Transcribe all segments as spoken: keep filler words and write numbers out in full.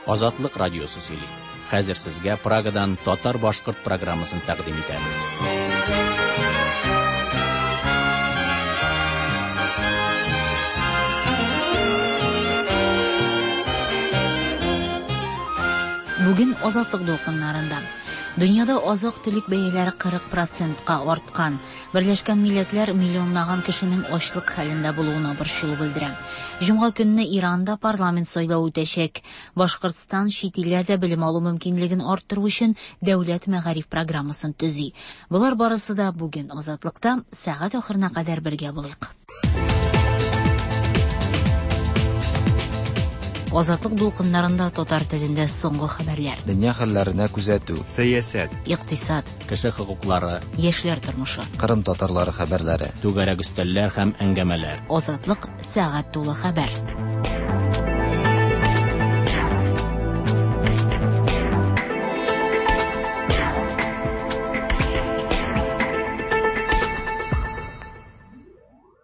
Азатлык радиосы сөйли. Хәзер сезгә Прагадан татар-башкорт программасын тәкъдим итәбез. Бүген Азатлык дулкыннарында дөньяда азык-төлек бәяләре кырык процентка арткан. Берләшкән Милләтләр миллионлаган кешенең ачлык хәлендә булуына борчылу белдерә. Җомга көнне Иранда парламент сайлавы үтәчәк. Башкортстан чит илләрдә белем алу мөмкинлеген арттыру өчен дәүләт мәгариф программасын төзи. Болар барысы да бүген Азатлыкта. Сәгать ахырына кадәр бергә булыйк. Азатлык дулкыннарында татар телендә соңгы хәбәрләр. Дөнья хәлләренә күзәтү. Сәясәт. Икътисад. Кеше хокуклары. Яшьләр тормышы. Кырым татарлары хәбәрләре. Түгәрәк өстәлләр һәм әңгәмәләр. Азатлык сәгать тулы хәбәр.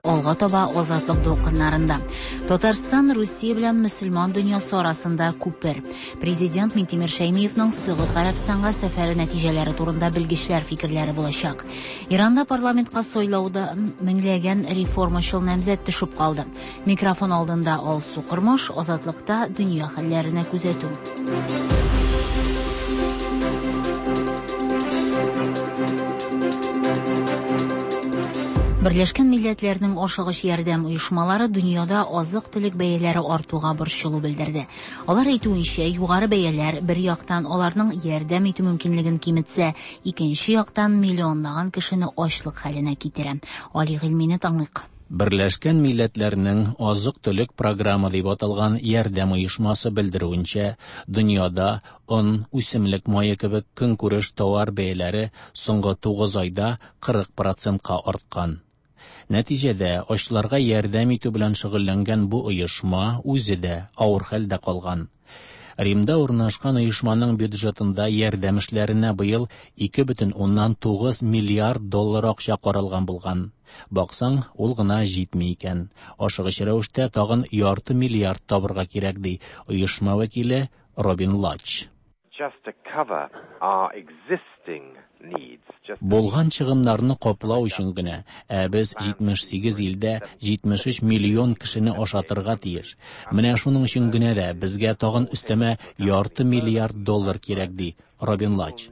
Алга таба Азатлык дулкыннарында. Татарстан Русия белән мөселман дөньясы арасында күпер. Президент Минтимер Шәймиевның Сөгуд Гарәбстанга сәфәре нәтиҗәләре турында белгечләр фикерләре булачак. Иранда парламентка сайлаудан меңләгән реформачыл намзәт төшеп калды. Микрофон алдында Алсу Кормаш, Азатлыкта дөнья хәлләренә күзәтү. Берләшкән Милләтләрнең ашыгыч ярдәм оешмалары дөньяда азык-төлек бәяләре артуга борчылу белдерде. Алар әйтүенчә, югары бәяләр бер яктан аларның ярдәм итү мөмкинлеген киметсә, икенче яктан миллионлаган кешене ачлык хәленә китерә. Али Гыйльмине тыңлыйк. Берләшкән Милләтләрнең азык-төлек программы дип аталган ярдәм оешмасы белдерүенчә, дөньяда он, үсемлек мае кебек көнкүреш товар бәяләре соңгы тугыз айда кырык процентка арткан. Нәтиҗәдә ачларга ярдәм итү белән шөгыльләнгән бу оешма үзе дә авыр хәлдә калган. Римда урнашкан оешманың бюджетында ярдәм эшләренә быел ике бөтен уннан тугыз миллиард доллар акча каралган булган. Баксаң, ул гына җитми икән. Ашыгыч рәвештә тагын ярты миллиард табырга кирәк, ди оешма вәкиле Робин Лач. Just to cover our existing needs. Булган чыгымнарны каплау өчен генә, ә без җитмеш сигез илдә җитмеш өч миллион кешене ашатырга тиеш. Менә шуның өчен генә дә безгә тагын өстәмә ярты миллиард доллар кирәк, ди Робин Лач.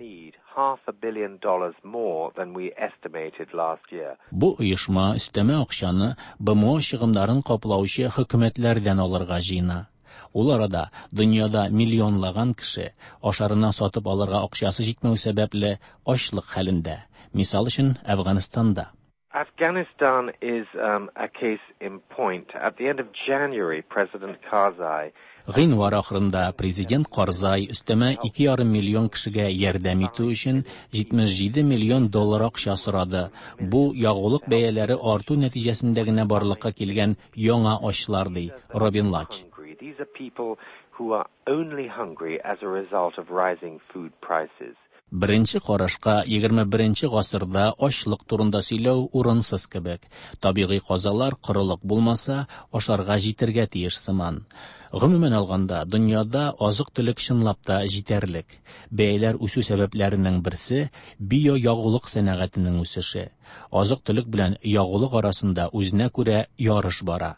Half a billion dollars more than we estimated last year. Бу оешма өстәмә акчаны Б М О чыгымнарын каплаучы хөкүмәтләрдән алырга җыена. Ул арада дөньяда миллионлаган кеше ашарына сатып алырга акчасы җитмәү сәбәпле ачлык хәлендә. Мисал өчен, Әфганстанда. Afghanistan is, um, a case in point. At the end of January, President Karzai Гыйнвар ахырында президент Карзай өстәмә ике ярым миллион кешегә ярдәм итү өчен җитмеш җиде миллион доллар акча сорады. Бу ягулык бәяләре арту нәтиҗәсендә генә барлыкка килгән яңа ачлар, ди Робин Лач. These are people who are only hungry as a result of rising food prices. Беренче карашка егерме беренче гасырда ачлык турында сөйләү урынсыз кебек. Табигый казалар корылык булмаса, ашарга җитәргә тиеш сыман. Гомумән алганда, дөньяда азык-төлек чынлап та җитәрлек. Бәяләр үсү сәбәпләренең берсе биоягулык сәнәгатенең үсеше. Азык-төлек белән ягулык арасында үзенә күрә ярыш бара.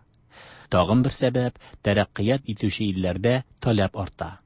Тагын бер сәбәп тәрәккыят итүче илләрдә таләп арта.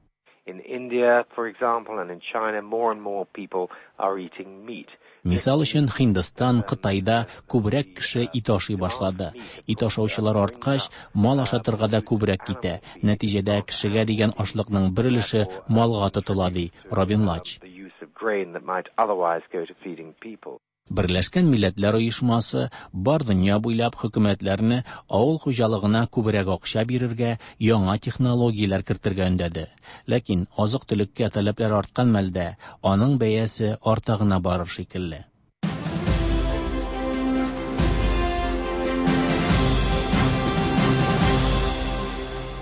In India, for example, and in China, more and more people are eating meat. Мисал өчен, Һиндстан, Кытайда күбрәк кеше ит ашый башлады. Ит ашаучылар арткач, мал ашатырга да күбрәк китә. Нәтиҗәдә кешегә дигән ашлыкның бер өлеше малга тотыла, ди Робин Лач. The use of grain that might otherwise go to feeding people. Берләшкән Милләтләр Оешмасы бар дөнья буйлап хөкүмәтләрне авыл хуҗалыгына күбрәк акча бирергә, яңа технологияләр кертергә өндәде. Ләкин азык-төлеккә таләпләр арткан мәлдә аның бәясе арта гына барыр шикелле.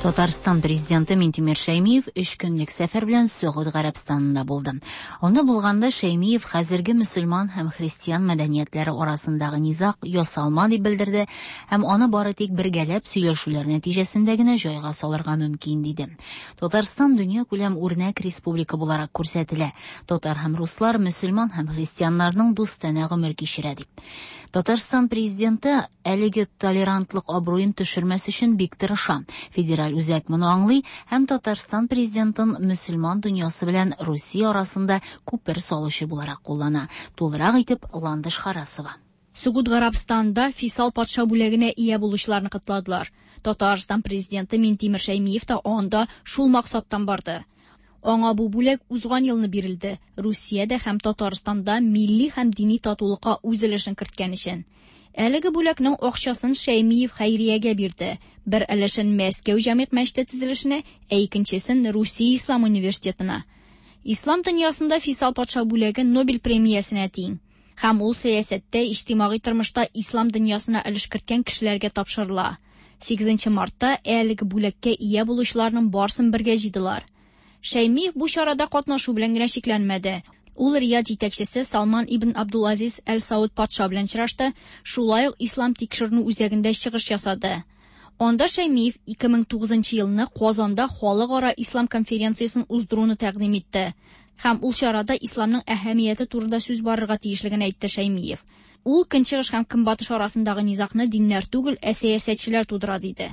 Татарстан президенты Минтимер Шәймиев өч көнлек сәфәр белән Сөгуд Гарәбстанында булды. Анда булганда Шәймиев хәзерге мөселман һәм христиан мәдәниятләре арасындагы низаг ясалма дип белдерде һәм аны бары тик бергәләп сөйләшүләр нәтиҗәсендә генә җайга салырга мөмкин диде. Татарстан дөньякүләм үрнәк республика буларак күрсәтелә. Татар һәм руслар мөселман һәм христианнарның дустанә гомер кичерә дип. Татарстан президенты әлеге толерантлык абруен төшермәс өчен бик тырыша. Федераль үзәк моны аңлый һәм Татарстан президентын мөселман дөньясы белән Русия арасында күпер салучы буларак куллана. Тулырак итеп Ландыш Харасова. Сөгуд Гарәбстанда Фейсал патша бүләгенә ия булучыларны котладылар. Татарстан президенты Минтимер Шәймиев та анда шул максаттан барды. Аңа бу бүләк узган елны бирелде. Русиядә һәм Татарстанда милли һәм дини татулыкка үз өлешен керткән өчен. Әлеге бүләкнең акчасын Шәймиев хәйриягә бирде. Бер өлешен Мәскәү җәмигъ мәчете төзелешенә, ә икенчесен Русия Ислам университетына. Ислам дөньясында Фейсал патша бүләге Нобель премиясенә тиң. Һәм ул сәясәттә, иҗтимагый тормышта ислам дөньясына өлеш керткән кешеләргә тапшырыла. Сигезенче мартта әлеге бүләккә ия булучыларның барсын бергә җыйдылар. Шәймиев бу чарада катнашу белән генә чикләнмәде. Ул Рияд җитәкчесе Салман ибн Абдулазиз Әл-Сауд патша белән очрашты, шулай ук Ислам тикшеренү үзәгендә чыгыш ясады. Анда Шәймиев ике мең тугызынчы елны Казанда халыкара ислам конференциясен уздыруны тәкъдим итте. Һәм ул чарада исламның әһәмияте турында сүз барырга тиешлеген әйтте Шәймиев. Ул көнчыгыш һәм көнбатыш арасындагы низагны диннәр түгел, ә сәясәтчеләр тудыра диде.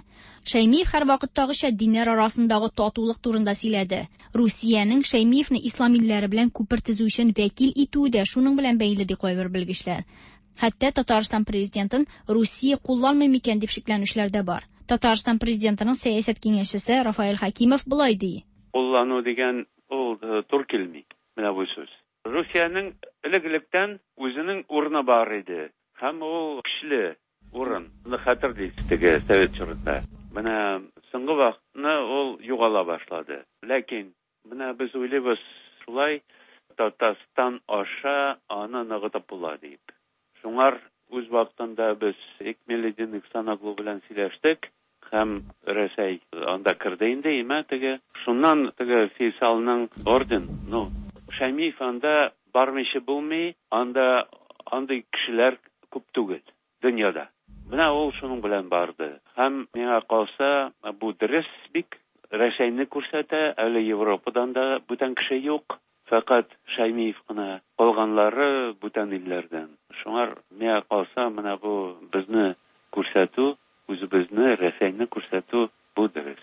Шәймиев һәр вакыттагыча диннәр арасындагы татулык турында сөйләде. Русиянең Шәймиевне ислам илләре белән күпер төзү өчен вәкил итүе дә шуның белән бәйле ди кайбер белгечләр. Хәтта Татарстан президентын Русия кулланмый микән дип шикләнүчеләр дә бар. Татарстан президентының сәясәт киңәшчесе Рафаэль Хәкимов болай ди. Куллану дигән ул тур килми. Менә бу сүз. Русиянең элек-электән үзенең урыны бар иде. Һәм ул көчле урын. Аны хәтерлисез теге совет чорында. Менә соңгы вакытны ул югала башлады. Ләкин менә без уйлыйбыз шулай Татарстан аша аны ныгытып була дип. Шуңар үз вакытында без Экмеледин Ихсаноглу белән сөйләштек. Һәм Рәсәй анда керде инде, имә теге. Шуннан теге Фейсалның орден, ну, Шәймиев анда бармыйча булмый, анда андый кешеләр күп түгел дөньяда. Менә ул шуның белән барды. Һәм миңа калса, бу дөрес бик Рәсәйне күрсәтә, әле Европадан да бүтән кеше юк. Фәкать Шәймиев кына, калганлары бүтән илләрдән. Шуңар миңа калса, менә бу безне күрсәтү, үзебезне, Рәсәйне күрсәтү бу дөрес.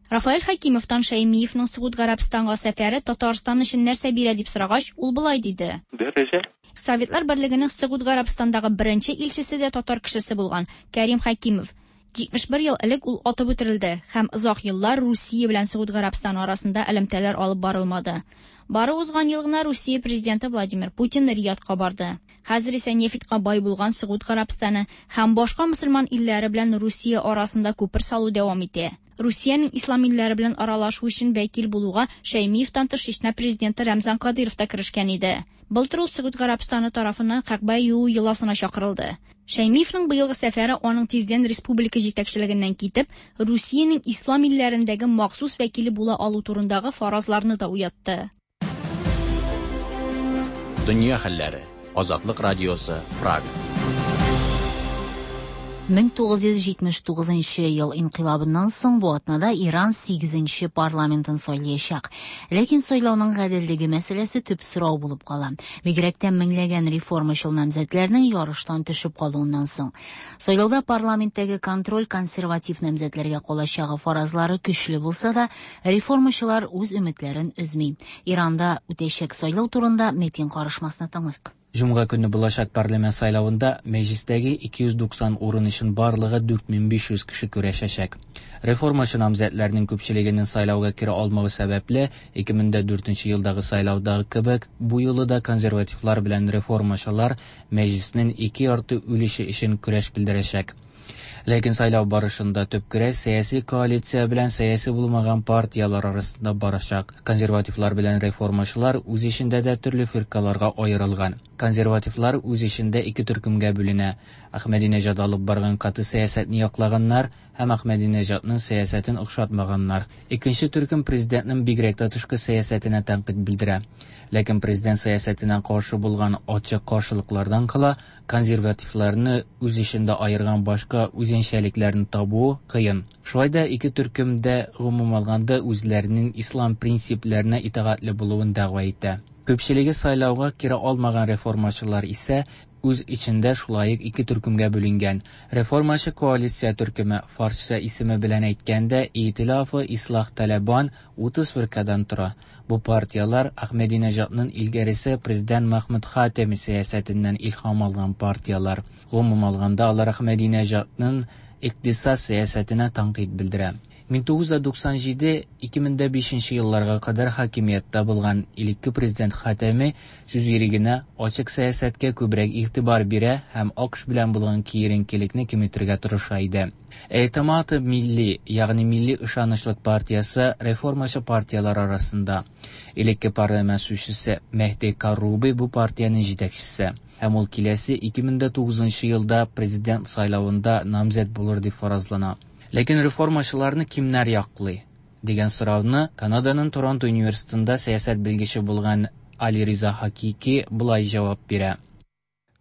Рафаэль Хәкимовтан Шәймиевның Сөгуд Гарәбстанга сәфәре Татарстан өчен нәрсә бирә дип сорагач, ул болай диде. Дәрәҗә. Советлар Берлегенең Сөгуд Гарәбстандагы беренче илчесе дә татар кешесе булган Кәрим Хәкимов. җитмеш бер ел элек ул атып үтерелде һәм озак еллар Русия белән Сөгуд Гарәбстаны арасында элемтәләр алып барылмады. Бары узган ел гына Русия президенты Владимир Путин Риядка барды. Хәзер исә нефтькә бай булган Сөгуд Гарәбстаны һәм башка мөселман илләре белән Русия арасында күпер салу дәвам итә. Русиянең ислам илләре белән аралашу өчен вәкил булуга Шәймиевтан тыш Чечня президенты Рамзан Кадыров та керешкән иде. Былтыр ул Сөгуд Гарәбстаны тарафыннан Кәгъбә юу йоласына чакырылды. Шәймиевның быелгы сәфәре аның тиздән республика җитәкчелегеннән китеп, Русиянең ислам илләрендәге махсус вәкиле була алу турындагы фаразларны да уятты. Дөнья хәлләре. Азатлык радиосы, Прага. мең тугыз йөз җитмеш тугызынчы ел инкыйлабыннан соң бу атнада Иран сигезенче парламентын сайлаячак. Ләкин сайлауның гаделлеге мәсьәләсе төп сорау булып кала. Бигрәк тә меңләгән реформачыл намзәтләрнең ярыштан төшеп калуыннан соң. Сайлауда парламенттәге контроль консерватив намзәтләргә калачагы фаразлары көчле булса да, реформачылар үз өметләрен өзми. Иранда үтәчәк сайлау турында Метин карышмасына тыңлыйк. Җомга көне булачак парламент сайлавында мәҗлистәге ике йөз туксан урын өчен барлыгы дүрт мең биш йөз кеше көрәшәчәк. Реформачы намзәтләрнең күпчелегенең сайлауга керә алмавы сәбәпле, ике мең дә дүртенче елдагы сайлаудагы кебек, бу юлы да консервативлар белән реформачылар мәҗлиснең ике ярты өлеше өчен көрәш белдерәчәк. Ләкин сайлау барышында төп көрәш сәяси коалиция белән сәяси булмаган партияләр арасында барачак. Консервативлар белән реформачылар үз эчендә дә төрле фиркаларга аерылган. Консервативлар үз эчендә ике төркемгә бүленә. Әхмәдинәҗад алып барган каты сәясәтне яклаганнар һәм Әхмәдинәҗадның сәясәтен охшатмаганнар. Икенче төркем президентның бигрәк тә тышкы сәясәтенә тәнкыйть белдерә. Ләкин президент сәясәтенә каршы булган ачык каршылыклардан кала, консервативларны үз эчендә аерган башка үзенчәлекләрне табу кыен. Шулай да ике төркем дә гомум алганда үзләренең ислам принципларына итагатьле булуын дәгъва итә. Күпчелеге сайлауга кире алмаган реформачылар исә үз эчендә шулай ук ике төркемгә бүленгән. Реформачы коалиция төркеме, фарсча исеме белән әйткәндә, Итилафы Ислах Талабан утыз фиркадан тора. Бу партияләр Әхмәдинәҗадның илгәресе президент Махмуд Хатеми сәясәтеннән илһам алган партияләр. Гомум алганда алар Әхмәдинәҗадның икътисад сәясәтенә тәнкыйть белдерә. мең тугыз йөз туксан җиде - ике мең дә бишенче елларга кадәр хакимияттә булган элекке президент Хатеми сүз ирегенә, ачык сәясәткә күбрәк игътибар бирә һәм АКШ белән булган киеренкелекне киметергә тырыша иде. Эътимад милли, ягъни милли ышанычлык партиясе реформачы партияләр арасында. Элекке парламент сүзчесе Мehdi Карруби бу партиянең җитәкчесе. Һәм ул киләсе ике мең дә тугызынчы елда президент сайлавында намзәт булыр дип фаразлана. Ләкин реформачыларны кимнәр яклый дигән сорауны Канаданың Торонто университетында сәясәт белгече булган Али Риза Хакики болай җавап бирә.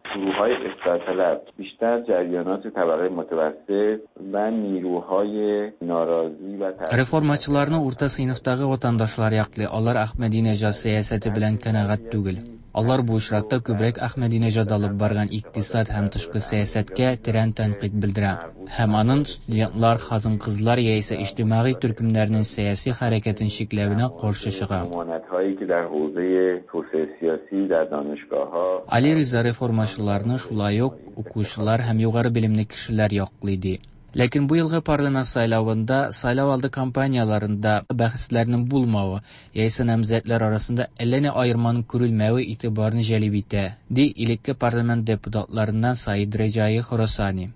گروه‌های اصلاح بیشتر جریانات طبقه متوسط و نیروهای ناراضی و Реформачыларны урта сыйныфтагы ватандашлар яклый. Алар Әхмәдинәҗад сәясәте белән канәгать түгел. Алар бу очракта күбрәк Әхмәдинәҗад алып барган икътисад һәм тышкы сәясәткә тирән тәнкыйть белдерә. Һәм аның студентлар, хатын-кызлар яисә иҗтимагый төркемнәрнең сәяси хәрәкәтен чикләвенә каршы чыга. Али Риза реформачыларны шулай ук укучылар һәм югары белемле кешеләр яклый ди. Ләкин бу елгы парламент сайлавында сайлау алды кампанияларында бәхәсләрнең булмавы яисә намзәтләр арасында әллә ни аерманың күрелмәве игътибарны җәлеп итә, ди элекке парламент депутатларыннан Саид Реджаи Хорасани.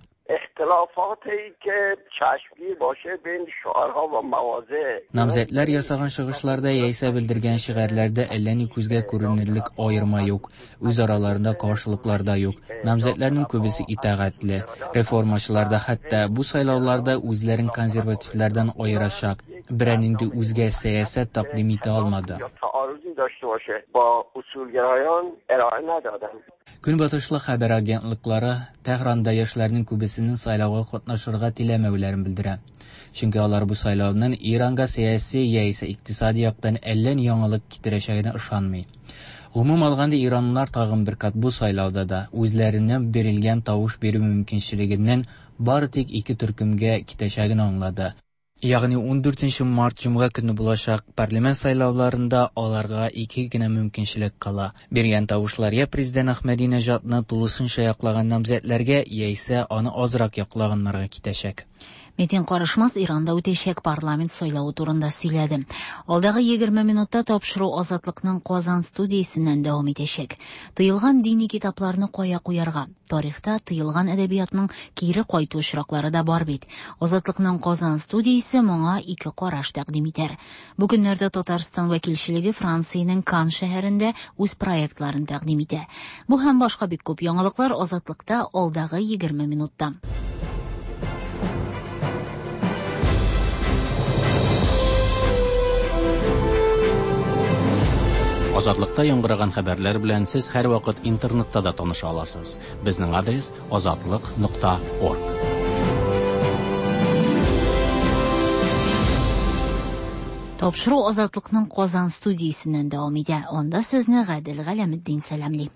اختلافاتی که چشمگیر باشه بین شعارها و مواضع. Намзәтләр ясаган чыгышларда яисә белдергән шигарьләрдә әллә ни күзгә күренерлек аерма юк, үз араларында каршылыклар да юк. Намзәтләрнең күбесе итагатьле. Реформачылар да хәтта бу сайлауларда үзләрен консервативлардан аерачак берәр нинди үзгә сәясәт тәкъдим итә алмады. داشته باشه با اصولگرایان ارائه ندادن. Көнбатышлы хәбәр агентлыклары Тәһранда яшьләрнең күбесенең сайлауга катнашырга теләмәүләрен белдерә. Чөнки алар бу сайлауның Иранга сәяси яисә икътисади яктан әллә ни яңалык китерәчәгенә ышанмый. Гомум алганда иранлылар тагын бер кат бу сайлауда да үзләренә бирелгән тавыш бирү мөмкинчелегеннән бары тик ике төркемгә китәчәген аңлады. Ягъни ун дүртенче март җомга көне булачак парламент сайлауларында аларга ике генә мөмкинчелек кала. Биргән тавышлар я президент Әхмәдинәҗадны тулысынча яклаган намзәтләргә, яисә аны азрак яклаганнарга китәчәк. Метин Карышмас Иранда үтәчәк парламент сайлавы турында сөйләде. Алдагы егерме минутта тапшыру Азатлыкның Казан студиясеннән дәвам итәчәк. Тыелган дини китапларны кая куярга? Тарихта тыелган әдәбиятның кире кайту очраклары да бар бит. Азатлыкның Казан студиясе моңа ике караш тәкъдим итәр. Бу көннәрдә Татарстан вәкилчелеге Франциянең Кан шәһәрендә үз проектларын тәкъдим итә. Бу һәм башка бик күп яңалыклар Азатлыкта алдагы егерме минутта. Азатлыкта яңгыраган хәбәрләр белән сез һәрвакыт интернетта да таныша аласыз. Безнең адрес азатлык нокта орг. Тапшыру Азатлыкның Казан студиясеннән дәвам итә. Анда сезне Гадел Галәметдин сәламли.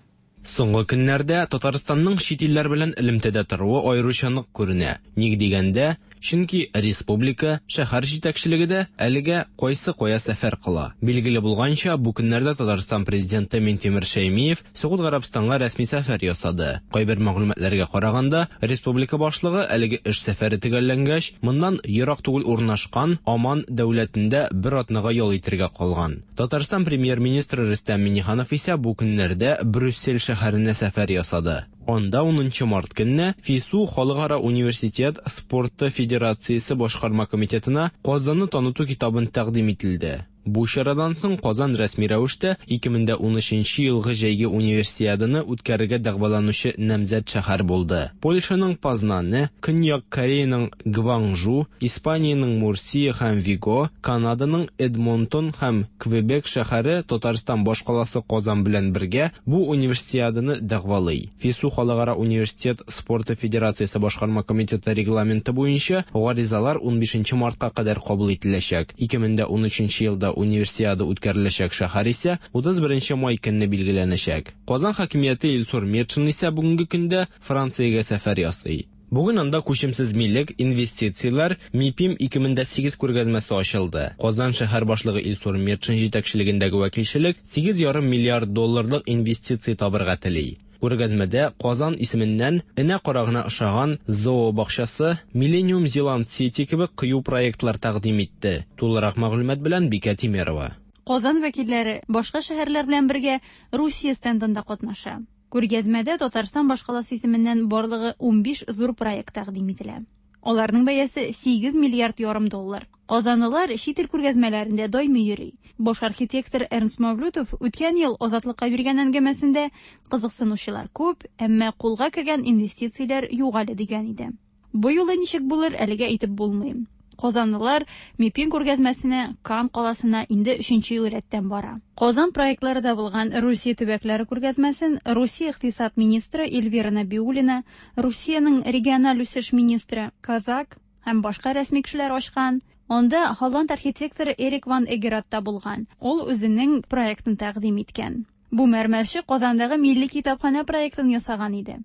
Соңгы көннәрдә Татарстанның чит илләр белән элемтәдә торуы аеруча нык күренә. Ник дигәндә, чөнки республика, шәһәр җитәкчелеге дә әлегә кайсы кая сәфәр кыла. Билгеле булганча, бу көннәрдә Татарстан президенты Минтимер Шәймиев Согуд Гарәбстанга рәсми сәфәр ясады. Кайбер мәгълүматларга караганда, республика башлыгы әлеге эш сәфәре төгәлләнгәч, моннан ерак түгел урнашкан Оман дәүләтендә бер атнага ял итәргә калган. Татарстан премьер-министры Рөстәм Миңнеханов исә бу көннәрдә Брюссель шәһәренә сәфәр ясады. Анда унынчы март көнне ФИСУ Халыкара университет спорты федерациясе башкарма комитетына Казанны таныту китабын тәкъдим ителде. Бу чарадан соң Казан рәсми рәвештә ике мең дә унөченче елгы җәйге универсиаданы үткәрергә дәгъваланучы намзәт шәһәр булды. Польшаның Познаны, Көньяк Кореяның Гванжу, Испаниянең Мурсия һәм Виго, Канаданың Эдмонтон һәм Квебек шәһәре Татарстан башкаласы Казан белән бергә бу универсиаданы дәгъвалый. ФИСУ Халыкара университет спорты федерациясе башкарма комитеты регламенты буенча гаризалар унбишенче мартка кадәр кабул ителәчәк. ике мең дә унөченче елда универсиада үткәреләчәк шәһәр исә утыз беренче май көнне билгеләнәчәк. Казан хакимияте Илсур Метшин исә бүгенге көндә Франциягә сәфәр ясый. Бүген анда күчемсез милек, инвестицияләр, МИПИМ ике мең дә сигез күргәзмәсе ачылды. Казан шәһәр башлыгы Илсур Метшин җитәкчелегендәге вәкилчелек сигез ярым миллиард долларлык инвестиция табырга тели. Күргәзмәдә Казан исеменнән энә карагына ошаган зоо бакчасы, Millennium Zealand City кебек кыю проектлар тәкъдим итте. Тулырак мәгълүмат белән Бикә Тимерова. Казан вәкилләре башка шәһәрләр белән бергә Русия стендында катнаша. Күргәзмәдә Татарстан башкаласы исеменнән барлыгы унбиш зур проект тәкъдим ителә. Аларның бәясе сигез миллиард ярым доллар. Казанлылар чит ил күргәзмәләрендә даими йөри. Баш архитектор Эрнст Мавлютов үткән ел Азатлыкка биргән әңгәмәсендә кызыксынучылар күп, әмма кулга кергән инвестицияләр юк әле дигән иде. Бу юлы ничек булыр, әлегә әйтеп булмый. Казанлылар МИПИМ күргәзмәсенә Кан каласына инде өченче ел рәттән бара. Казан проектлары да булган Русия төбәкләре күргәзмәсен Русия икътисад министры Эльвира Набиуллина, Русиянең региональ үсеш министры Казак һәм башка рәсми кешеләр ачкан. Анда Холланд архитекторы Эрик ван Эгерат та булган. Ул үзенең проектын тәкъдим иткән. Бу мәрмәрче Казандагы милли китапханә проектын ясаган иде.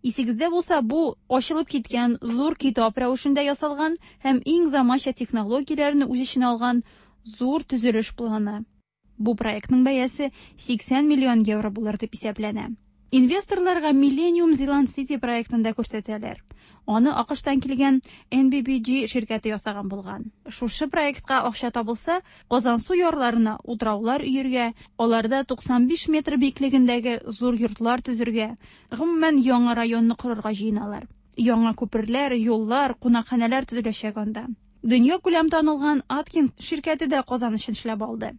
Исегездә булса, бу ачылып киткән зур китап рәвешендә ясалган һәм иң заманча технологияләрне үз эченә алган зур төзелеш планы. Бу проектның бәясе сиксән миллион евро булыр дип исәпләнә. Инвесторларга Millennium Zealand City проектын да күрсәтәләр. Аны АКШтан килгән Н Б Б G ширкәте ясаган булган. Шушы проектка акча табылса, Казансу ярларына утраулар өергә, аларда туксан биш метр биеклегендәге зур йортлар төзергә, гомумән яңа районны корырга җыеналар. Яңа күперләр, юллар, кунакханәләр төзеләчәк анда. Дөнья күләм танылган Аткинс ширкәте дә Казан өчен эшләп алды.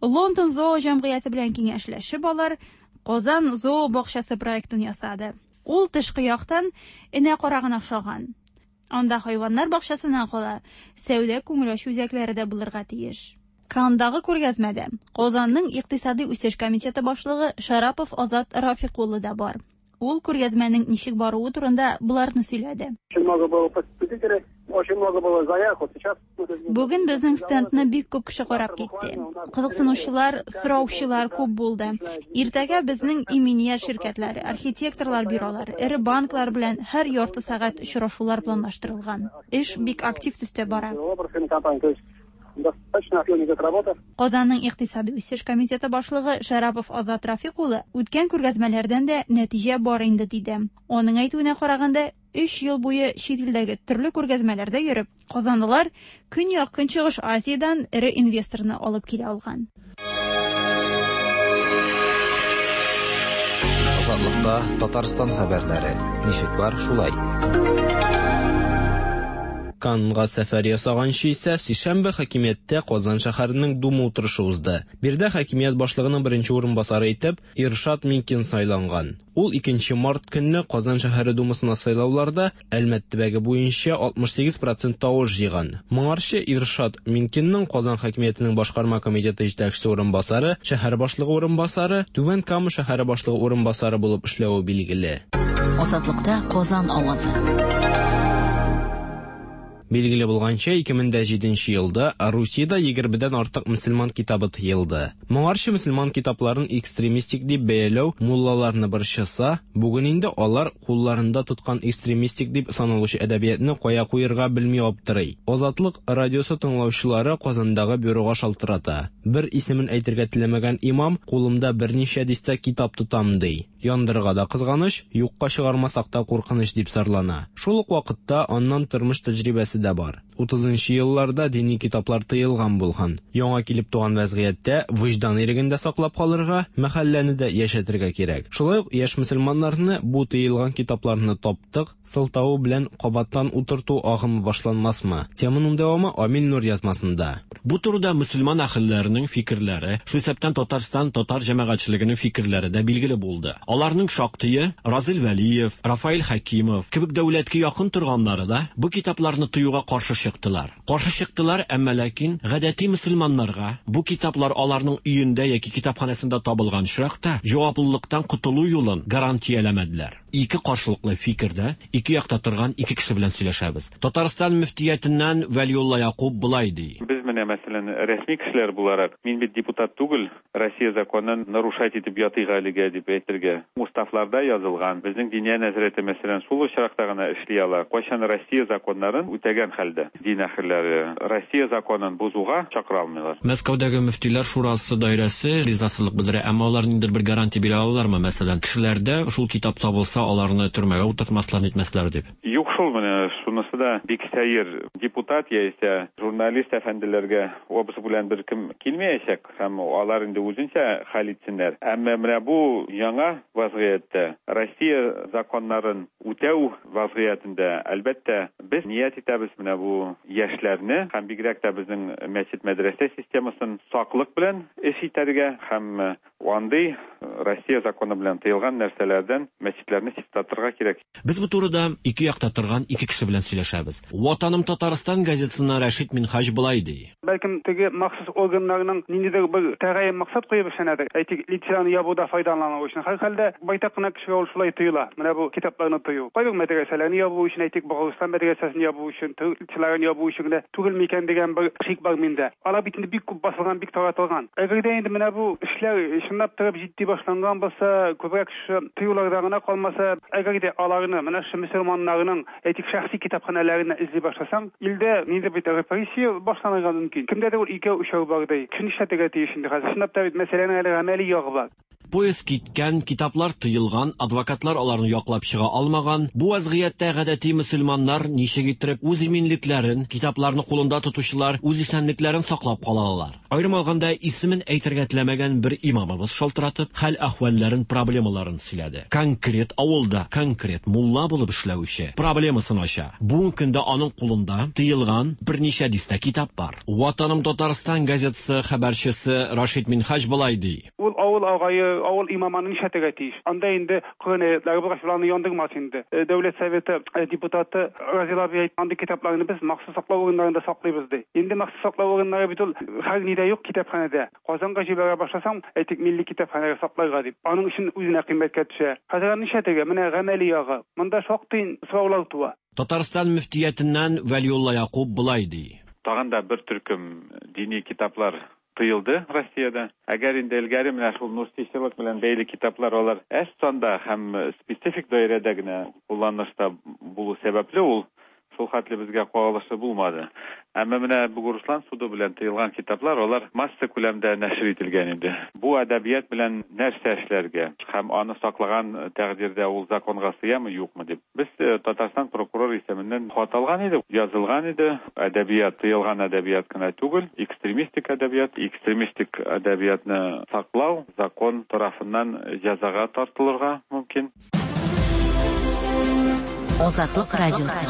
Лондон зоо җәмгыяте белән киңәшләшеп алар Казан зоо бакчасы проектын ясады. Ул тышкы яктан энә карагына охшаган. Анда хайваннар бакчасыннан кала сәүдә күңел ачу үзәкләре дә булырга тиеш. Кандагы күргәзмәдә Казанның икътисади үсеш комитеты башлыгы Шарапов Азат Рафик улы да бар. Ул күргәзмәнең ничек баруы турында буларны сөйләде. Очень много было посетителей, очень много было заявок. Вот сейчас Бүген безнең стендны бик күп кеше карап китте. Кызыксынучылар, сораучылар күп булды. Иртәгә безнең иминият ширкәтләре, архитекторлар бюролары, эре банклар белән һәр ярты сәгать очрашулар планлаштырылган. Эш бик актив төстә бара. Достаточно активно идет работа. Казанның икътисади үсеш комитеты башлыгы Шарапов Азат Рафик улы үткән күргәзмәләрдән дә нәтиҗә бар инде диде. Аның әйтүенә караганда, өч ел буе чит илдәге төрле күргәзмәләрдә йөреп, казанлылар Көньяк-Көнчыгыш Азиядән эре инвесторны алып килә алган. Азатлыкта Татарстан хәбәрләре. Ничек бар, шулай. Каннга сәфәр ясаганчы исә сишәмбе хакимияттә Казан шәһәренең Дума утырышы узды. Биредә хакимият башлыгының беренче урынбасары итеп Иршат Минкин сайланган. Ул икенче март көнне Казан шәһәре Думасына сайлауларда Әлмәт төбәге буенча алтмыш сигез процент тавыш җыйган. Моңарчы Иршат Минкинның Казан хакимиятенең башкарма комитеты җитәкчесе урынбасары, шәһәр башлыгы урынбасары, Түбән Кама шәһәре башлыгы урынбасары булып эшләве билгеле. Азатлыкта Казан авазы. Билгеле булганча, ике мең дә җиденче елда Русиядә егермедән артык мөселман китабы тыелды. Моңарчы мөселман китапларын экстремистик дип бәяләү муллаларны борчыса, бүген инде алар кулларында тоткан экстремистик дип саналучы әдәбиятны кая куярга белми аптырый. Азатлык радиосы тыңлаучылары Казандагы бюрога шалтырата. Бер исемен әйтергә теләмәгән имам кулымда берничә дистә китап тотам ди. Яндырырга да кызганыч, юкка чыгармасак та куркыныч дип зарлана. Шул ук вакытта аннан тормыш тәҗрибәсе дә бар. Утызынчы елларда дини китаплар тыелган булган. Яңа килеп туган вәзгыятьтә вөҗдан иреген дә саклап калырга, мәхәлләне дә яшәтергә кирәк. Шулай ук яшь мөселманнарны бу тыелган китапларны таптык сылтавы белән кабаттан утырту агымы башланмасмы? Теманың дәвамы Амил Нур язмасында. Бу турыда мөселман әһелләренең фикерләре, шул исәптән Татарстан татар җәмәгатьчелегенең фикерләре дә билгеле булды. Аларның шактые Разил Вәлиев, Рафаэль Хәкимов кебек дәүләткә якын торганнары да бу китапларны тыюга каршы чыктылар. Каршы чыктылар, әмма ләкин гадәти мөселманнарга бу китаплар аларның өендә яки китапханәсендә табылган очракта җаваплылыктан котылу юлын гарантияләмәделәр. Ике каршылыклы фикердә ике якта торган ике кеше белән сөйләшәбез. Татарстан мөфтиятеннән Вәлиулла Якуб болай ди. Без менә мәсәлән рәсми кешеләр буларак, мин бит депутат түгел, Россия законын нарушать итеп ятыйк әлегә дип әйтергә. Уставларда язылган, безнең Диния нәзарәте мәсәлән шул очракта гына эшли ала. Кайчан Россия законнарын үтәгән хәлдә дин әһелләре Россия законын бозуга чакыра алмыйлар. Мәскәүдәге мөфтиләр шурасы даирәсе ризасызлык белдерә, әмма алар ниндидер бер гарантия бирә алалармы? Мәсәлән, кешеләрдә шул китап табылса, аларны төрмәгә утыртмаслар, нитмәсләр дип. Юк шул, менә шунысы да бик сәер. Депутат яисә журналист әфәнделәргә обыск белән бер кем килмәячәк һәм алар инде үзенчә хәл итсеннәр. Әмма менә бу яңа вазгыятьтә Россия законнарын үтәү вазгыятендә әлбәттә без ният итәбез менә бу яшьләрне һәм бигрәк тә безнең мәчет мәдрәсә системасын саклык белән эш итәргә һәм андый Россия законы белән тыелган нәрсәләрдән мәчетләрне чистартырга кирәк. Без бу турыда ике якта торган ике кеше белән сөйләшәбез. Ватаным Татарстан газетасыннан Рәшит Минһаҗ болай ди. Бәлкем теге махсус органнарның ниндидер бер тәгаен максат куеп эшләнәдер. Әйтик, лицензияне ябуда файдалану өчен. Һәр хәлдә байтак кына кешегә ул шулай тоела. Менә бу китапларны тыю. Кайбер мәдрәсәләрне ябу өчен, әйтик, Богорстан мәдрәсәсен ябу өчен, лицензияләрне ябу өчен генә түгел микән дигән бер шик бар миндә. Алар бит инде бик күп басылган, бик таратылган. Әгәр дә инде менә бу эшләр чынлап торып җитди башланган булса, күбрәк шушы тыюларда гына калмаса, әгәр дә аларны менә шушы мөселманнарның, әйтик, шәхси китапханәләрен эзли башласаң, илдә ниндидер бит репрессия башланырга мөмкин. Кемдәдер ул икәү өчәү бар ди. Кем нишләтергә тиеш инде хәзер? Чынлап та бит мәсьәләнең әле гамәли ягы бар. Поезд киткән, китаплар тыелган, адвокатлар аларны яклап чыга алмаган. Бу вазгыятьтә гадәти мөселманнар ничек итеп үз иминлекләрен, китапларны кулында тотучылар үз исәнлекләрен саклап кала алалар? Аерым алганда, исемен әйтергә теләмәгән бер имамыбыз шалтыратып, хәл-әхвәлләрен, проблемаларын сөйләде. Конкрет авылда, конкрет мулла булып эшләүче проблемасын ача. Бүгенге көндә аның кулында тыелган берничә дистә китап бар. Ватаным Татарстан газетасы хәбәрчесе Рашид Минһаҗ болай ди. Ул авыл агае, авыл имамының нишләтергә тиеш? Анда инде Коръән аятлары булгач, уларны яндырмас инде. Дәүләт советы депутаты Разил абый әйтте, андый китапларны без махсус саклау урыннарында саклыйбыз ди. Инде махсус саклау урыннары бит ул һәр нидә юк китапханәдә. Казанга җибәрә башласаң, әйтик, милли китапханәгә сакларга дип. Аның өчен үзенә кыйммәткә төшә. Хәзер нишләтергә? Менә гамәли ягы. Монда шактый сораулар туа. Татарстан мөфтиятеннән Вәлиулла Якуб болай ди. Тагын да бер төркем дини китаплар тыелды Россиядә. Әгәр инде элгәре менә шул нурсичылык белән бәйле китаплар алар әз санда һәм специфик даирәдә генә кулланышта булу сәбәпле ул шул хәтле безгә кагылышы булмады. Әмма менә Бугурслан суды белән тыелган китаплар алар масса күләмдә нәшер ителгән иде. Бу әдәбият белән нәрсә эшләргә һәм аны саклаган тәкъдирдә ул законга сыямы, юкмы дип. Без Татарстан прокурор исеменнән хат алган идек, язылган иде. Әдәбият тыелган әдәбият кына түгел, экстремистик әдәбият, экстремистик әдәбиятны саклау закон тарафыннан җәзага тартылырга мөмкин. Азатлык радиосы.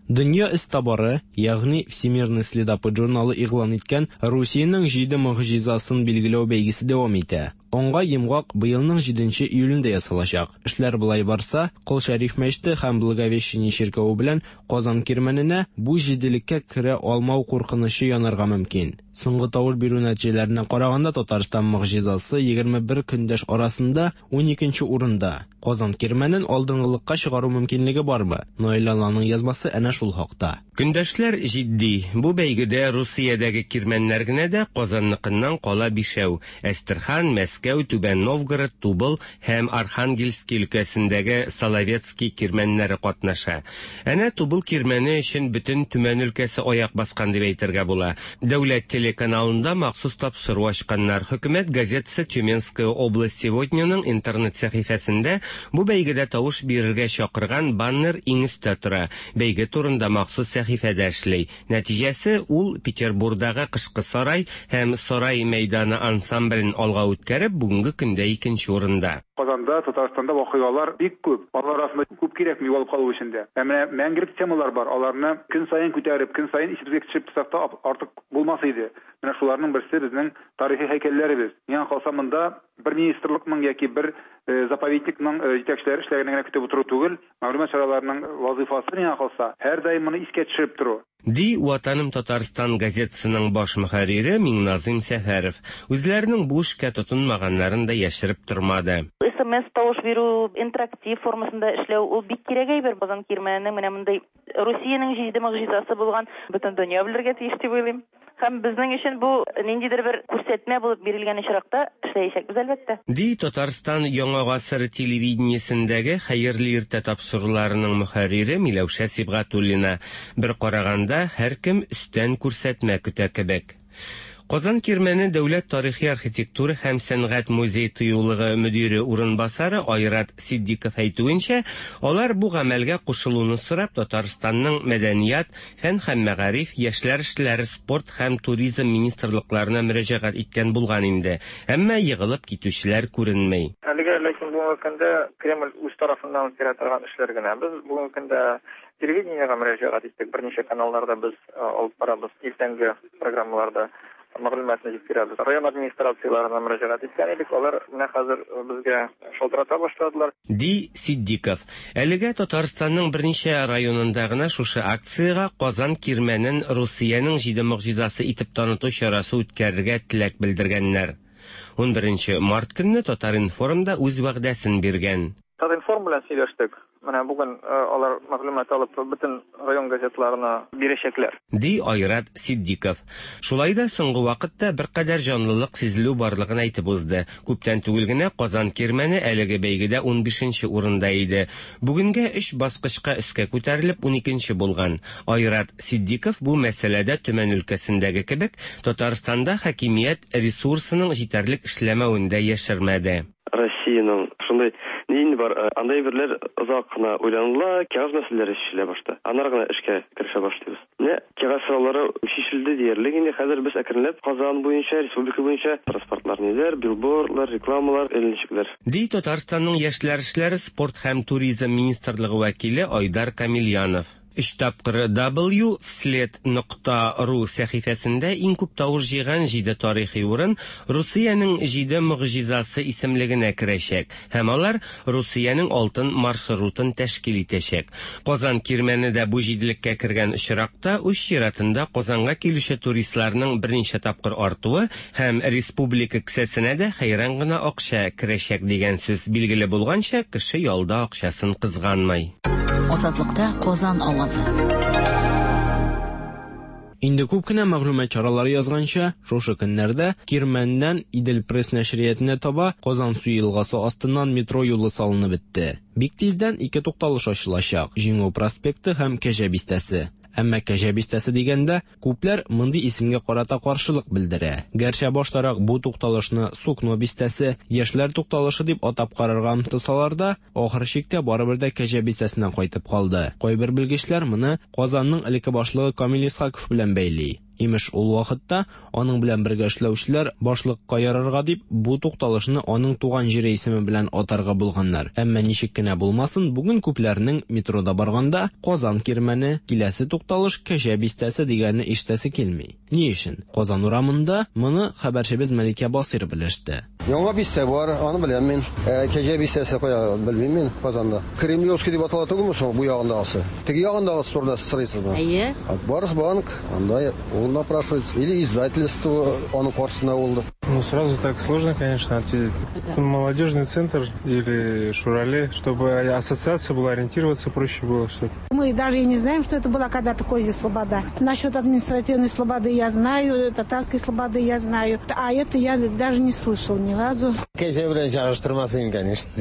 Дөнья эзтабары, ягъни Всемирный следопыт журналы игълан иткән Русиянең җиде могҗизасын билгеләү бәйгесе дәвам итә. Аңга йомгак быелның җиденче июлендә ясалачак. Эшләр болай барса, Кол Шәриф мәчете һәм Благовещение чиркәве белән Казан кирмәненә бу җиделеккә керә алмау куркынычы янарга мөмкин. Соңгы тавыш бирү нәтиҗәләренә караганда Татарстан могҗизасы егерме бер көндәш арасында ун икенче урында. Казан кирмәнен алдынгылыкка чыгару мөмкинлеге бармы? Наил Алланың язмасы әнә шул хакта. Көндәшләр җитди. Бу бәйгедә Русиядәге кирмәннәр генә дә Казанныкыннан кала бишәү. Әстерхан, Мәскәү, Түбән Новгород, Тубыл һәм Архангельский өлкәсендәге Соловецкий кирмәннәре катнаша. Әнә Тубыл кирмәне өчен бөтен Төмән өлкәсе аяк баскан дип әйтергә була. Дәүләт телеканалында махсус тапшыру ачканнар. Хөкүмәт газетасы Тюменская область сегодняның интернет сәхифәсендә бу бәйгедә тавыш бирергә чакырган баннер иң өстә тора. Бәйге турында махсус сәхифәдә эшли. Нәтиҗәсе ул Петербургдагы Кышкы сарай һәм Сарай мәйданы ансамблен алга үткәреп, бүгенге көндә икенче урында. Казанда, Татарстанда вакыйгалар бик күп. Алар арасында күп кирәкми югалып калу өчен дә. Ә менә мәңгелек темалар бар. Аларны көн саен күтәреп, көн саен исебезгә төшереп тотсак та артык булмас иде. Менә шуларның берсе безнең тарихи һәйкәлләребез. Миңа калса монда бер министрлыкның яки бер заповедникның җитәкчеләре эшләгәнен генә көтеп утыру түгел, мәгълүмат чараларының вазифасы миңа калса һәрдаим моны искә төшереп тору. Ди Ватаным Татарстан газетасының баш мөхәррире Миңназым Сәфәров. Үзләренең бу эшкә тотынмаганнарын да яшереп тормады. С М С тавыш бирү интерактив формасында эшләү ул бик кирәк әйбер. Казан кирмәненең менә мондый Русиянең җиде могҗизасы булган бөтен дөнья белергә тиеш дип уйлыйм. Һәм безнең өчен бу ниндидер бер күрсәтмә булып бирелгән очракта эшләячәкбез әлбәттә. Ди Татарстан Яңа гасыр телевидениесендәге Хәерле иртә тапшыруларының мөхәррире Миләүшә Сибгатуллина. Бер караганда һәркем өстән күрсәтмә көтә кебек. Казан Кирмәне дәүләт тарихи архитектура һәм сәнгать музей тыюлыгы мөдире урынбасары Айрат Сиддиков әйтүенчә, алар бу гамәлгә кушылуны сорап Татарстанның мәдәният, фән һәм мәгариф, яшьләр эшләре, спорт һәм туризм министрлыкларына мөрәҗәгать иткән булган инде. Әмма егылып китүчеләр күренми. Әлегә ләкин бүгенге көндә Кремль үз тарафыннан үткәрә торган эшләр генә. Без бүгенге көндә телевидениегә мөрәҗәгать иттек. Берничә каналларда без алып барабыз иртәнге программаларда мәгълүматны җиткерәбез. Район администрацияларына мөрәҗәгать иткән идек, алар менә хәзер безгә шалтырата башладылар. Ди Сиддиков. Әлегә Татарстанның берничә районында гына шушы акциягә Казан Кирмәнен Русиянең җиде могҗизасы итеп таныту чарасы үткәрергә теләк белдергәннәр. ун беренче март көнне Татар-информда үз вәгъдәсен биргән. Татар-информ белән сөйләштек. Менә бүген алар мәгълүмат алып бөтен район газетларына бирәчәкләр. Ди Айрат Сиддиков. Шулай да соңгы вакытта беркадәр җанлылык сизелү барлыгын әйтеп узды. Күптән түгел генә Казан Кирмәне әлеге бәйгедә ун бишенче урында иде. Бүгенгә өч баскычка өскә күтәрелеп ун икенче булган. Айрат Сиддиков бу мәсьәләдә Төмән өлкәсендәге кебек Татарстанда хакимият ресурсының җитәрлек эшләмәвен дә яшермәде. Россиянең шундый нинди бар, андай берләр озак кына уйланыла, кәгазь мәсьәләләре чишелә башта. Аннары гына эшкә керешә башлыйбыз. Менә кәгазь сораулары чишелде диярлек инде. Хәзер без әкренләп Казан буенча, республика буенча транспортлар ниләр, билбордлар, рекламалар эленчекләр. Ди Татарстанның яшьләр эшләре, спорт һәм туризм министрлыгы вәкиле Айдар Камильянов. Өч тапкыр W вслед нокта ру сәхифәсендә иң күп тавыш җыйган җиде тарихи урын Русиянең җиде могҗизасы исемлегенә керәчәк һәм алар Русиянең алтын маршрутын тәшкил итәчәк. Казан Кирмәне дә бу җиделеккә кергән очракта үз чиратында Казанга килүче туристларның берничә тапкыр артуы һәм республика кесәсенә дә хәйран гына акча керәчәк дигән сүз. Билгеле булганча, кеше ялда акчасын кызганмый. Азатлыкта Казан авазы. Инде күп кенә мәгълүмат чаралары язганча, шушы көннәрдә Кирмәннән Идел Пресс нәшриятенә таба Казан су елгасы астыннан метро юлы салынып бетте. Бик тиздән ике тукталыш ачылачак: Җиңү проспекты һәм Кәҗә бистәсе. Әмма Кәҗә бистәсе дигәндә күпләр мондый исемгә карата каршылык белдерә. Гәрчә баштарак бу тукталышны Сукно бистәсе, Яшьләр тукталышы дип атап карарга омтылсалар да, ахыр чиктә барыбер дә Кәҗә бистәсенә кайтып калды. Кайбер белгечләр моны Казанның элекке башлыгы Камил Исхаков белән бәйли. Имеш, ул вакытта аның белән бергә эшләүчеләр башлыкка ярарга дип бу тукталышны аның туган җире исеме белән атарга булганнар. Әмма ничек кенә булмасын, бүген күпләрнең метрода барганда Казан Кирмәне, киләсе тукталыш Кәҗә бистәсе дигәнне ишетәсе килми. Ни өчен? Казан урамында моны хәбәрчебез Мәликә Басир белеште. Яңа бистә бар, аны беләм мин. Кәҗә бистәсе кая белмим мин Казанда. Кремлевский дип атала түгелме соң бу ягындагысы? Теге ягындагысы турында сез сорыйсызмы? Әйе. Барс банк, анда ул напрашивается. Или издательство аның каршысында булды. Ну, сразу так сложно, конечно, ответить. Молодежный центр или Шурале, чтобы ассоциация была, ориентироваться проще было. Чтобы... Мы даже и не знаем, что это была когда-то Козья Слобода. Насчет административной слободы я знаю, татарской слободы я знаю, а это я даже не слышал ни разу. Кәҗә белән чагыштырмас идем, конечно.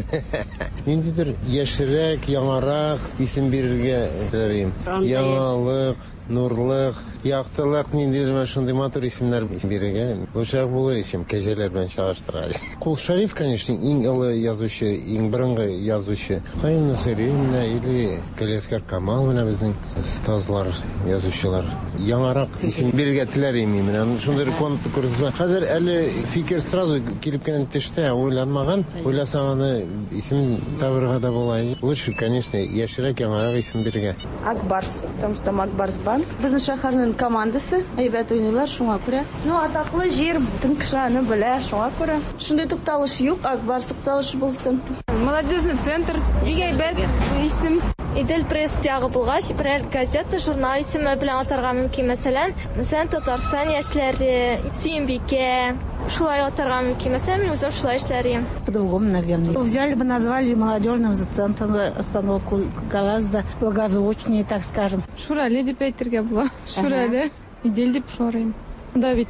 Ниндидер яшьрәк, яңарак исем бирергә теләр. Яңалык, нурлык, яктылык, ниндидер менә шундый матур исемнәр бирергә лучшерак булыр исем кәҗәләр белән чагыштыргач. Кол Шәриф, конечно, иң олы язучы, иң борынгы язучы. Каюм Насыйри менә или Галиәсгар Камал менә безнең остазлар, язучылар. Яңарак исем бирергә теләр идем менә. Шундый конкурс. Хәзер әле фикер сразу килеп кенә төште, уйланмаган. Уйласаң аны исем табырга да була. Лучше, конечно, яшьрәк, яңарак исем бирергә. Акбарс, потому что там Акбарс банк. Безнең шәһәрнең командасы әйбәт уйныйлар, шуңа күрә. Ну, атаклы җир, бөтен кеше аны белә, шуңа күрә. Шундый тукталыш юк, Акбарс тукталышы булсын. Молодежный центр, бик әйбәт исем. Идел пресс ягы булгач, берәр газета, журнал исеме белән атарга мөмкин. Мәсәлән, мәсәлән, Татарстан яшьләре, Сөембикә, шулай атарга мөмкин. Мәсәлән, мин үзем шулай эшләр идем. По-другому, наверное. Взяли бы, назвали молодежным центром остановку гораздо благозвучнее, так скажем. Шурале дип әйтергә була. Шурале. Идел дип шорыйм. Да бит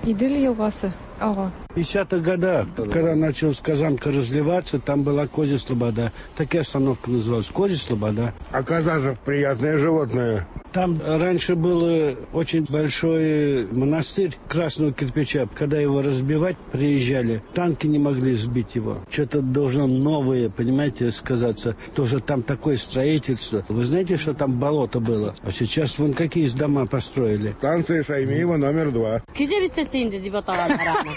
Идел елгасы ага. В пятидесятых годах, когда началась Казанка разливаться, там была Козья Слобода. Такая остановка называлась Козья Слобода. А коза же приятное животное. Там раньше был очень большой монастырь красного кирпича. Когда его разбивать приезжали, танки не могли сбить его. Что-то должно новое, понимаете, сказаться. Тоже там такое строительство. Вы знаете, что там болото было? А сейчас вон какие дома построили. Станция Шаймиева номер два. Кәҗә бистәсе инде дип аталганнар аны.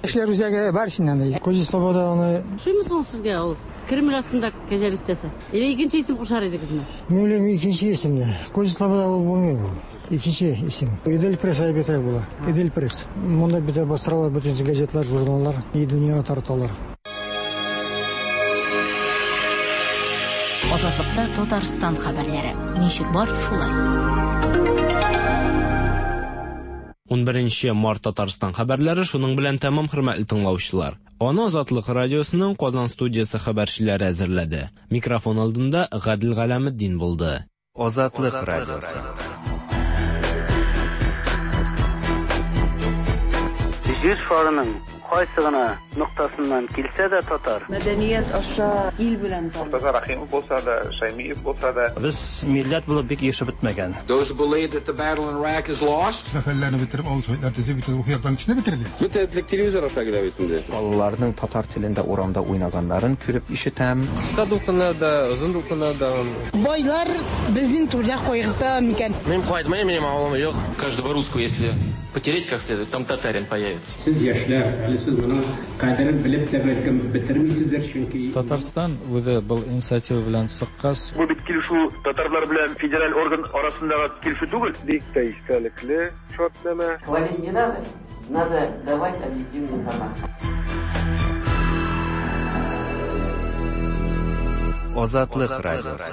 Яшьләр үзәге бар инде. Козья Слобода аны. Ошыймы ул сезгә ул? Кремль астында Кәҗә бистәсе. Или икенче исем кушар идегезме? Мин уйлыйм, икенче исемне. Козья Слобода ул булмый ул. Икенче исем. Идел пресс әйбәтрәк була. Идел пресс. Монда бит бастыралар бөтен газетлар, журналлар и дөньяга тараталар. Азатлыкта Татарстан хәбәрләре. Ничек бар, шулай. Унберенче март Татарстан хәбәрләре шуның белән тәмам, хөрмәтле тыңлаучылар. Аны Азатлык радиосының Казан студиясе хәбәрчеләре әзерләде. Микрофон алдында Гадел Галәметдин булды. Азатлык радиосы. Җир шарының кайсы гына ноктасыннан килсә дә татар. Мәдәният аша ил белән таныш. Мортаза Рахимов булса да, Шаймиев булса да. Без милләт булып бик яшәп бетмәгән. Those who believe that the battle in Iraq is lost. Сәфәрләрне бетереп, авыл советлар төзеп, бөтен рухи яктан кешене бетерде. Бөтен телевизор аша килә бит инде. Балаларның татар телендә урамда уйнаганнарын күреп ишетәм. Кыска дулкыннарда, озын дулкыннарда. Байлар безнең түрдә кайгырта микән? Мин кайтмыйм, минем авылым юк. Каждого русского, если потереть как следует, там татарин появится. Сез яшьләр, әле сез моның кадерен белеп тә бәлкем бетермисездер, чөнки Татарстан үзе был инициатива белән чыккач. Бу бит килешү татарлар белән федераль орган арасындагы килешү түгел. Бик тә истәлекле шартнамә. Хвалить не надо, надо давать объективную информацию. Азатлык радиосы.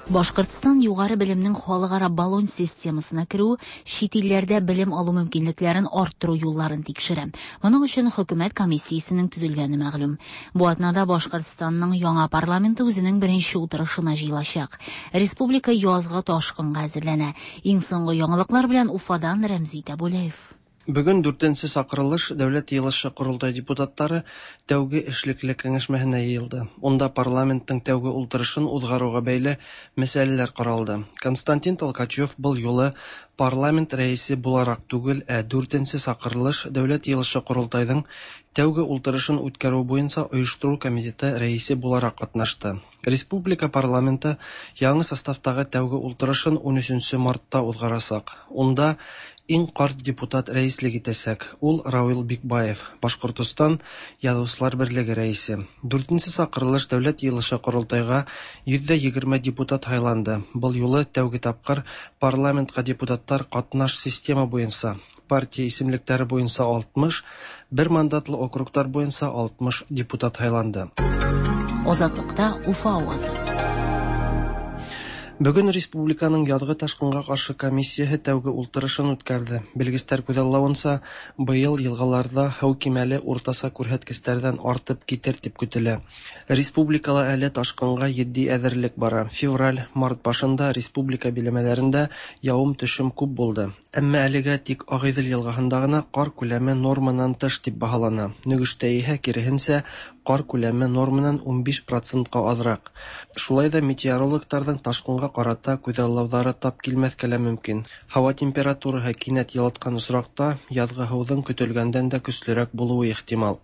Башкортстан югары белемнең халыкара Болон системасына керү, чит илләрдә белем алу мөмкинлекләрен арттыру юлларын тикшерә. Моның өчен хөкүмәт комиссиясенең төзелгәне мәгълүм. Бу атнада Башкортстанның яңа парламенты үзенең беренче утырышына җыелачак. Республика язгы ташкынга әзерләнә. Иң соңгы яңалыклар белән Уфадан Рәмзи Тәбүләев. Бүген дүртенче сакырылыш Дәүләт йыелышы Корылтай депутатлары тәүге эшлекле киңәшмәһенә йыелды. Унда парламенттың тәүге ултырышын узгаруга бәйле мәсьәләләр каралды. Константин Толкачев был юлы парламент рәисе буларак түгел, ә дүртенче сакырылыш Дәүләт йыелышы Корылтайның тәүге ултырышын үткәрү буенча оештыру комитеты рәисе буларак катнашты. Республика парламенты яңа составтагы тәүге ултырышын ун өченче мартта узгарасак. Унда иң карт депутат рәислек итәсәк. Ул Равил Бикбаев, Башкортостан Язучылар берлеге рәисе. Дүртенче сакырылыш Дәүләт йыелышы Корылтайга йөз егерме депутат һайланды. Был юлы тәүге тапкыр парламентка депутаттар катнаш система буенча, партия исемлекләре буенча алтмыш, бер мандатлы округтар буенча алтмыш депутат һайланды. Азатлыкта Уфа авазы. Бүген республиканың язгы ташкынга каршы комиссияһы тәүге ултырышын үткәрде. Белгестәр күҙаллауынса, быйыл йылғаларҙа һыу кимәле уртаса күрһәткестәрҙән артып китер тип көтөлә. Республикала әле ташҡынға етди әҙерлек бара. Февраль, март башында республика биләмәләрендә яуым-төшөм күп булды. Әммә әлегә тик Ағиҙел йылғаһында ғына ҡар күләме норманан тыш тип баһалана. Нөгөштә иһә киреһенсә, ҡар күләме норманан ун биш процентҡа аҙыраҡ. Шулай ҙа метеорологтарҙың ташҡынға ҡарата күҙаллауҙары тап килмәҫкә лә мөмкин. Һауа температураһы кинәт йылытҡан осраҡта яҙғы һыуҙың көтөлгәндән дә көслөрәк булыуы ихтимал.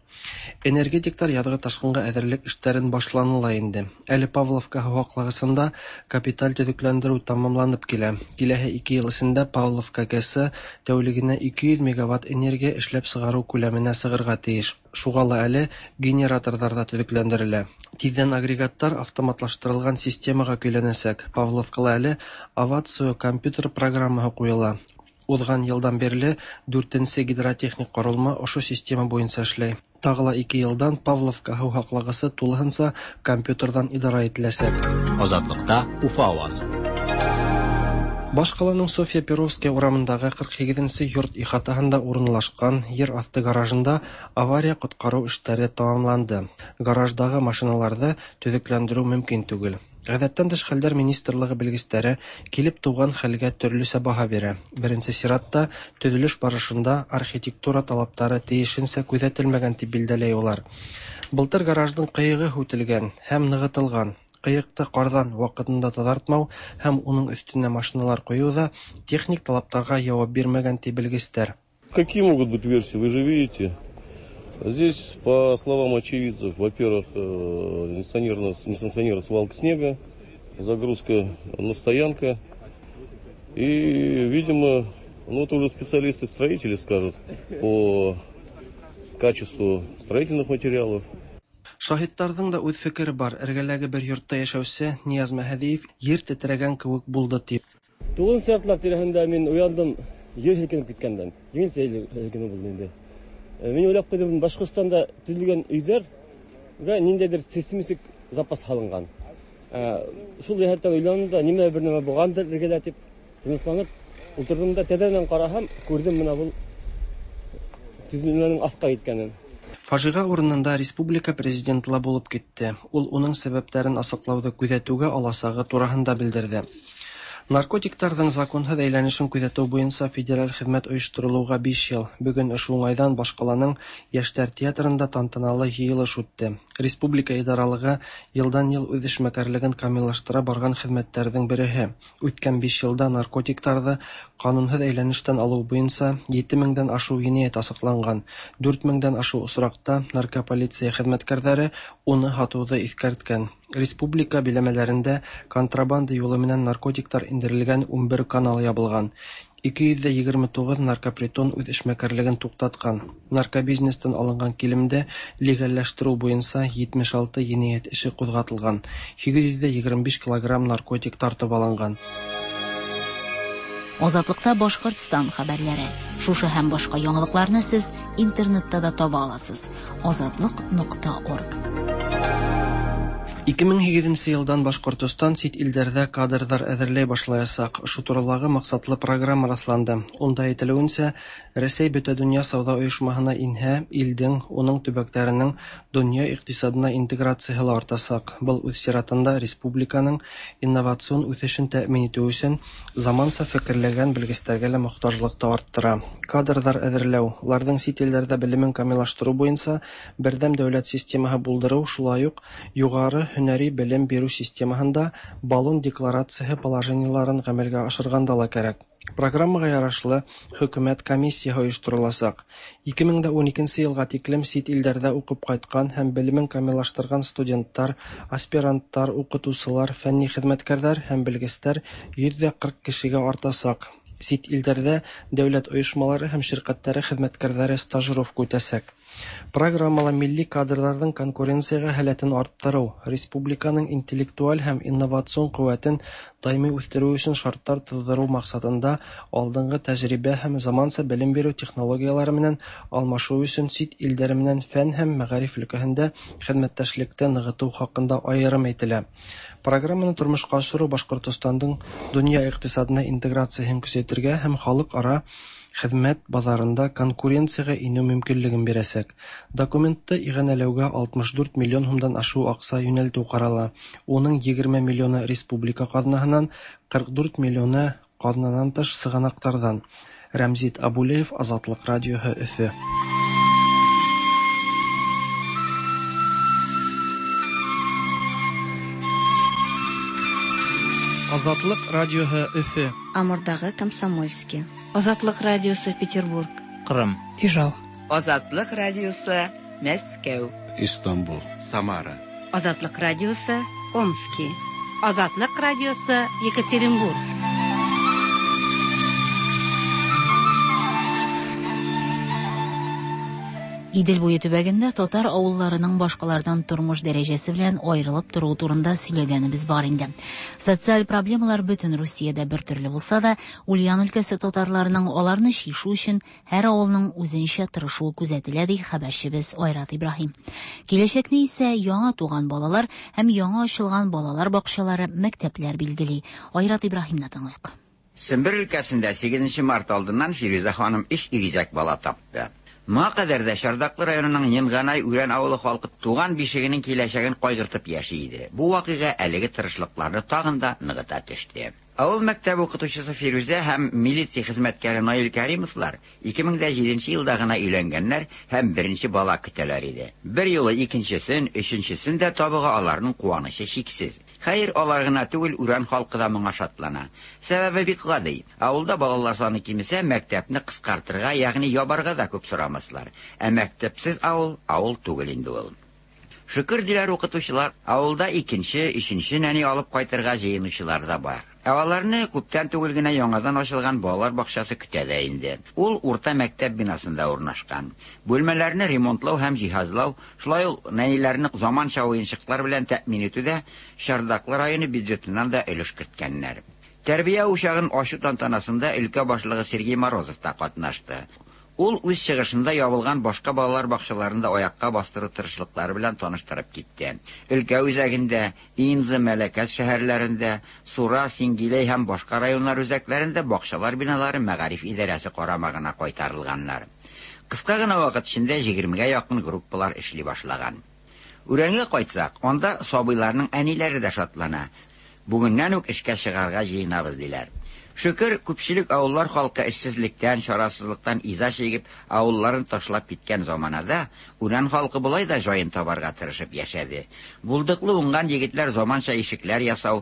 Энергетиктар яҙғы ташҡынға әҙерлек эштәрен башланы ла инде. Әле Павловка һыу һаҡлағысында капиталь төҙөкләндереү тамамланып килә. Киләһе ике йыл эсендә Павловка ГЭСы тәүлегенә ике йөҙ мегаватт энергия эшләп сығарыу күләменә сығырға тейеш. Шуға ла әле генераторҙар ҙа төҙөкләндерелә. Тиҙҙән агрегаттар автоматлаштырылған системаға көйләнәсәк. Павловкала әле Авацио компьютер программаһы ҡуйыла. Уҙған йылдан бирле дүртенсе гидротехник ҡоролма ошо система буйынса эшләй. Тағы ла ике йылдан Павловка һыу һаҡлағысы тулыһынса компьютерҙан идара ителәсәк. Азатлыҡта Уфа ауазы. Баш ҡаланың Софья Перовская урамындағы ҡырҡ һигеҙенсе йорт ихатаһында урынлашҡан ер аҫты гаражында авария ҡотҡарыу эштәре тамамланды. Гараждағы машиналарҙы төҙөкләндереү мөмкин түгел. Ғәҙәттән тыш хәлдәр министрлығы белгестәре килеп тыуған хәлгә төрлөсә баһа бирә. Беренсе сиратта төҙөлөш барышында архитектура талаптары тейешенсә күҙәтелмәгән тип билдәләй улар. Былтыр гараждың ҡыйығы һүтелгән һәм нығытылған. Ҡыйыҡты ҡарҙан ваҡытында таҙартмау һәм уның өҫтөнә машиналар ҡуйыу ҙа техник талаптарға яуап бирмәгән ти белгестәр. Какие могут быть версии, вы же видите. Здесь, по словам очевидцев, во-первых, несанкционированная свалка снега, загрузка на стоянка. И, видимо, ну это уже специалисты-строители скажут по качеству строительных материалов. Шаһиттарҙың да үҙ фекере бар. Эргәләге бер йортта йәшәүсе Нияз Мәһәҙиев ер тетрәгән кеүек булды тип. Туғыҙынсы яртылар тирәһендә мин уяндым, ер һелкенеп киткәндән. Еңелсә һелкенеү булды инде. Мин уйлап ҡуйҙым, Башҡортостанда төҙөлгән өйҙәргә ниндәйҙер сейсмик запас һалынған. Шул йәһәттән уйланым да, нимә бер нәмә булғандыр эргәлә тип тынысланып ултырҙым да, тәҙрәнән ҡараһам, күрҙем бына был төҙөлмәнең аҫҡа киткәнен. Фажиға урынында республика президенты ла булып китте. Ул уның сәбәптәрен асыҡлауҙы күҙәтеүгә аласағы тураһында белдерҙе. Наркотиктарҙың законһыҙ әйләнешен күҙәтеү буйынса федераль хеҙмәт ойошторолоуға биш йыл. Бөгөн ошо уңайҙан баш ҡаланың Йәштәр театрында тантаналы йыйылыш үтте. Республика идаралығы йылдан-йыл үҙ эшмәкәрлеген камиллаштыра барған хеҙмәттәрҙең береһе. Үткән биш йылда наркотиктарҙы ҡанунһыҙ әйләнештән алыу буйынса ете меңдән ашыу енәйәт асыҡланған. Дүрт меңдән ашыу осраҡта наркополиция хеҙмәткәрҙәре уны һатыуҙы иҫкәрткән. Республика биләмәләрендә контрабанда юлы менән наркотиктар индерелгән ун бер канал ябылған. Ике йөҙ егерме туғыҙ наркопритон үҙ эшмәкәрлеген туҡтатҡан. Наркобизнестан алынған килемде легалләштереү буйынса етмеш алты енәйәт эше ҡуҙғатылған. Һигеҙ йөҙ егерме биш килограмм наркотик тартып алынған. Азатлыкта Башкортстан хәбәрләре. Шушы һәм башка яңалыкларны сез интернетта да таба аласыз. Азатлык нокта орг. Ике мең һигеҙенсе йылдан Башҡортостан сит илдәрҙә кадрҙар әҙерләй башлаясаҡ. Ошо туралағы маҡсатлы программа раҫланды. Унда әйтелеүенсә, Рәсәй Бөтә донъя сауҙа ойошмаһына инһә, илдең, уның төбәктәренең донъя иҡтисадына интеграцияһы ла артасаҡ. Был үҙ сиратында республиканың инновацион үҫешен тәьмин итеү өсөн заманса фекерләгән белгестәргә лә мохтажлыҡты арттыра. Кадрҙар әҙерләү, уларҙың сит илдәрҙә белемен камиллаштырыу буйынса берҙәм дәүләт системаһы булдырыу, шулай уҡ юғары һөнәри белем биреү системаһында Болон декларацияһы положениеларын ғәмәлгә ашырғанда ла кәрәк. Программаға ярашлы хөкүмәт комиссияһы ойоштороласаҡ. Ике мең ун икенсе йылға тиклем сит илдәрҙә уҡып ҡайтҡан һәм белемен камиллаштырған студенттар, аспиранттар, уҡытыусылар, фәнни хеҙмәткәрҙәр һәм белгестәр йөҙ ҙә ҡырҡ кешегә артасаҡ. Сит илдәрҙә дәүләт ойошмалары һәм ширҡәттәре хеҙмәткәрҙәре стажировка үтәсәк. Программала милли кадрҙарҙың конкуренцияға һәләтен арттырыу, республиканың интеллектуаль һәм инновацион ҡеүәтен даими үҫтереү өсөн шарттар тыуҙырыу маҡсатында алдынғы тәжрибә һәм заманса белем биреү технологиялары менән алмашыу өсөн сит илдәр менән фән һәм мәғариф өлкәһендә хеҙмәттәшлекте нығытыу хаҡында айырым әйтелә. Программаны тормошҡа ашырыу Башҡортостандың донъя иҡтисадына интеграцияһын көсәйтергә һәм халыҡ-ара хеҙмәт баҙарында конкуренцияға инеү мөмкинлеген бирәсәк. Документты иғәнәләүгә алтмыш дүрт миллион һумдан ашыу аҡса йүнәлтеү ҡарала. Уның егерме миллионы республика ҡаҙнаһынан, ҡырҡ дүрт миллионы ҡаҙнанан тыш сығанаҡтарҙан. Рәмзит Абулеев, Азатлыҡ радиоһы, Өфө. Азатлыҡ радиоһы, Өфө. Амурдағы Комсомольский. Азатлыҡ радиосы, Петербург. Ҡырым. Ижау. Азатлыҡ радиосы, Мәскәү. Истанбул. Самара. Азатлыҡ радиосы, Омский. Азатлыҡ радиосы, Екатеринбург. Идел буе төбәгендә татар авылларының башкалардан тормыш дәрәҗәсе белән аерылып торуы турында сөйләгәнебез бар инде. Социаль проблемалар бөтен Русиядә бер төрле булса да, Ульян өлкәсе татарларының аларны чишү өчен һәр авылның үзенчә тырышуы күзәтелә, ди хәбәрчебез Айрат Ибраһим. Киләчәкне исә яңа туган балалар һәм яңа ачылган балалар бакчалары, мәктәпләр билгели. Айрат Ибраһимны тыңлыйк. Сембер өлкәсендә сигеҙенсе март алдыннан Фирүзә ханым өс игезәк бала тапты. Моңа кадәр дә Шардаклы районының Йынганай Үрән авылы халкы туган бишегенең киләчәген кайгыртып яши иде. Бу вакыйга әлеге тырышлыкларны тагын да ныгыта төште. Авыл мәктәбе укытучысы Фирүзә һәм милиция хезмәткәре Наил Каримовлар ике мең дә җиденче елда гына өйләнгәннәр һәм беренче бала көтәләр иде. Бер юлы икенчесен, өченчесен дә табуга аларның куанычы чиксез. Хәер, алар гына түгел, Үрән халкы да моңа шатлана. Сәбәбе бик гади. Авылда балалар саны кимесә, мәктәпне кыскартырга, ягъни ябарга да күп сорамаслар. Ә мәктәпсез авыл авыл түгел инде ул. Шөкер диләр укытучылар, авылда икенче, өченче нәни алып кайтырга җыенучылар да бар. Ә аларны күптән түгел генә яңадан ачылган балалар бакчасы көтә дә инде. Ул урта мәктәп бинасында урнашкан. Бүлмәләрне ремонтлау һәм җиһазлау, шулай ук нәниләрне заманча уенчыклар белән тәэмин итүдә Шардаклы районы бюджетыннан да өлеш керткәннәр. Тәрбия учагын ачу тантанасында өлкә башлыгы Сергей Морозов та катнашты. Ул үз чыгышында ябылган башка балалар бакчаларында аякка бастыру тырышлыклары белән таныштырып китте. Өлкә үзәгендә, Инза, Мәләкәс шәһәрләрендә, Сура, Сингилей һәм башка районнар үзәкләрендә бакчалар биналары мәгариф идарәсе карамагына кайтарылганнар. Кыска гына вакыт эчендә егермегә якын группалар эшли башлаган. Үрәнгә кайтсак, анда сабыйларның әниләре дә шатлана. Бүгеннән үк эшкә чыгарга җыенабыз диләр. Шөкер, күпчелек авыллар халкы эшсезлектән, чарасызлыктан иза чигеп, авылларын ташлап киткән заманада Үрән халкы болай да җаен табарга тырышып яшәде. Булдыклы уңган егетләр заманча ишекләр ясау,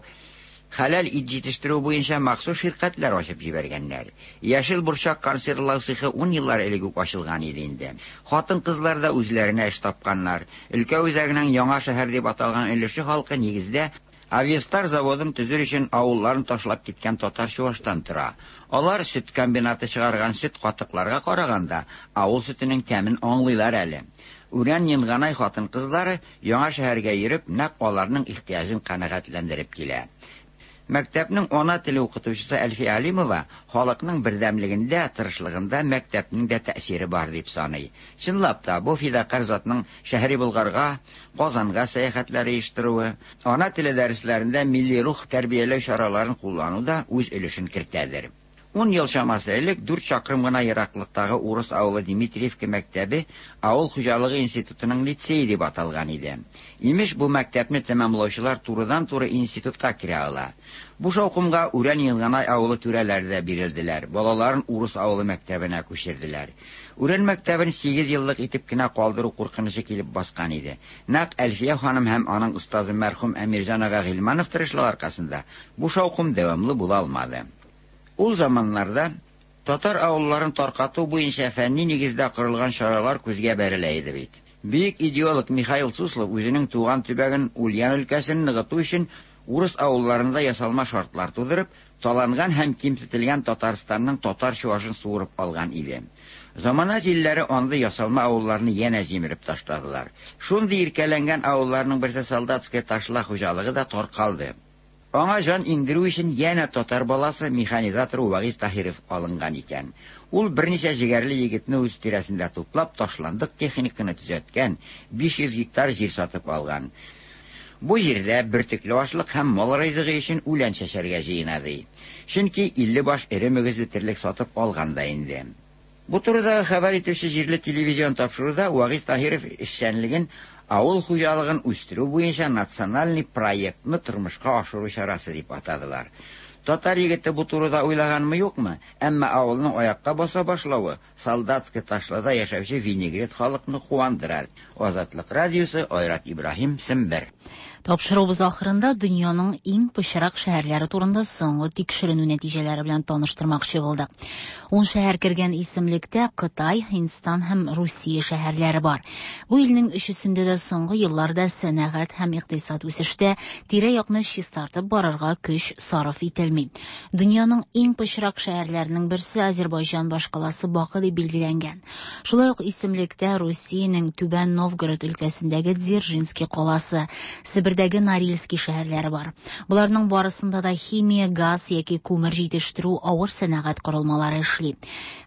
хәләл ит җитештерү буенча махсус ширкәтләр ачып җибәргәннәр. Яшел борчак консервлау цехы ун еллар элек үк ачылган иде инде. Хатын-кызлар да үзләренә эш тапканнар. Өлкә үзәгенең яңа шәһәр дип аталган өлеше халкы нигездә Авиастар заводын төзер өчен авылларын ташлап киткән татар чуаштан тора. Алар сөт комбинаты чыгарган сөт катыкларга караганда авыл сөтенең тәмен аңлыйлар әле. Үрән Йынганай хатын-кызлары яңа шәһәргә йөреп, нәкъ аларның ихтыяҗын канәгатьләндереп килә. Мәктәпнең ана теле укытучысы Әлфия Алимова халыкның бердәмлегендә, тырышлыгында мәктәпнең дә тәэсире бар дип саный. Чынлап та, бу фидакар затның шәһри Болгарга, Казанга сәяхәтләре оештыруы, ана теле дәресләрендә милли рух тәрбияләү чараларын куллану да үз өлешен кертәдер. Ун ел чамасы элек дүрт чакрым гына ераклыктагы урыс авылы Дмитриевка мәктәбе авыл хуҗалыгы институтының лицее дип аталган иде. Имеш, бу мәктәпне тәмамлаучылар турыдан-туры институтка керә ала. Бу шаукымга Үрән Йынганай авылы түрәләре дә бирелделәр. Балаларын урыс авылы мәктәбенә күчерделәр. Үрән мәктәбен сигез еллык итеп кенә калдыру куркынычы килеп баскан иде. Нәкъ Әлфия ханым һәм аның остазы мәрхүм Әмирҗан ага Гыйльманов тырышлыгы аркасында бу шаукым дәвамлы була алмады. Ул заманнарда татар авылларын таркату буенча фәнни нигездә корылган чаралар күзгә бәрелә иде бит. Бөек идеолог Михаил Суслов үзенең туган төбәген Ульян өлкәсен ныгыту өчен урыс авылларында ясалма шартлар тудырып, Таланган һәм кимсетелгән Татарстанның татар чуашын суырып алган иде. Замана җилләре андый ясалма авылларны янә җимереп ташладылар. Шундый иркәләнгән авылларның берсе Солдатская Ташла хуҗалыгы да таркалды. Аңа җан иңдерү өчен янә татар баласы механизатор Вагиз Таһиров алынган икән. Ул берничә җегәрле егетне үз тирәсендә туплап, ташландык техниканы төзәткән, биш йөз гектар җир сатып алган. Бу җирдә бөртекле ашлык һәм мал ризыгы өчен үлән чәчәргә җыена ди. Чөнки илле баш эре мөгезле терлек сатып алган да инде. Бу турыдагы хәбәр итүче җирле телевизион тапшыруда Вагиз Таһиров эшчәнлеген авыл хуҗалыгын үстерү буенча национальный проектны тормышка ашыру чарасы дип атадылар. Татар егете бу турыда уйлаганмы юкмы? Әмма авылның аякка баса башлавы Солдатская Ташлада яшәүче винегрет халыкны куандыра. Азатлык радиосы, Айрат Ибраһим, Сембер. Тапшыруыбыз ахырында дөньяның иң пычрак шәһәрләре турында соңгы тикшеренү нәтиҗәләре белән таныштырмакчы булдык. Ун шәһәр кергән исемлектә Кытай, Һиндстан һәм Русия шәһәрләре бар. Бу илнең өчесендә дә соңгы елларда сәнәгать һәм икътисад үсештә тирә-якны чистартып барырга көч сарыф ителми. Дөньяның иң пычрак шәһәрләренең берсе Азербайҗан башкаласы Бакы дип билгеләнгән. Шулай ук исемлектә Русиянең Түбән Новгород өлкәсендәге Дзержинский каласы, Себердәге Норильский шәһәрләре бар. Буларның барысында да химия, газ яки күмер җитештерү авыр сәнәгать корылмалары эшли.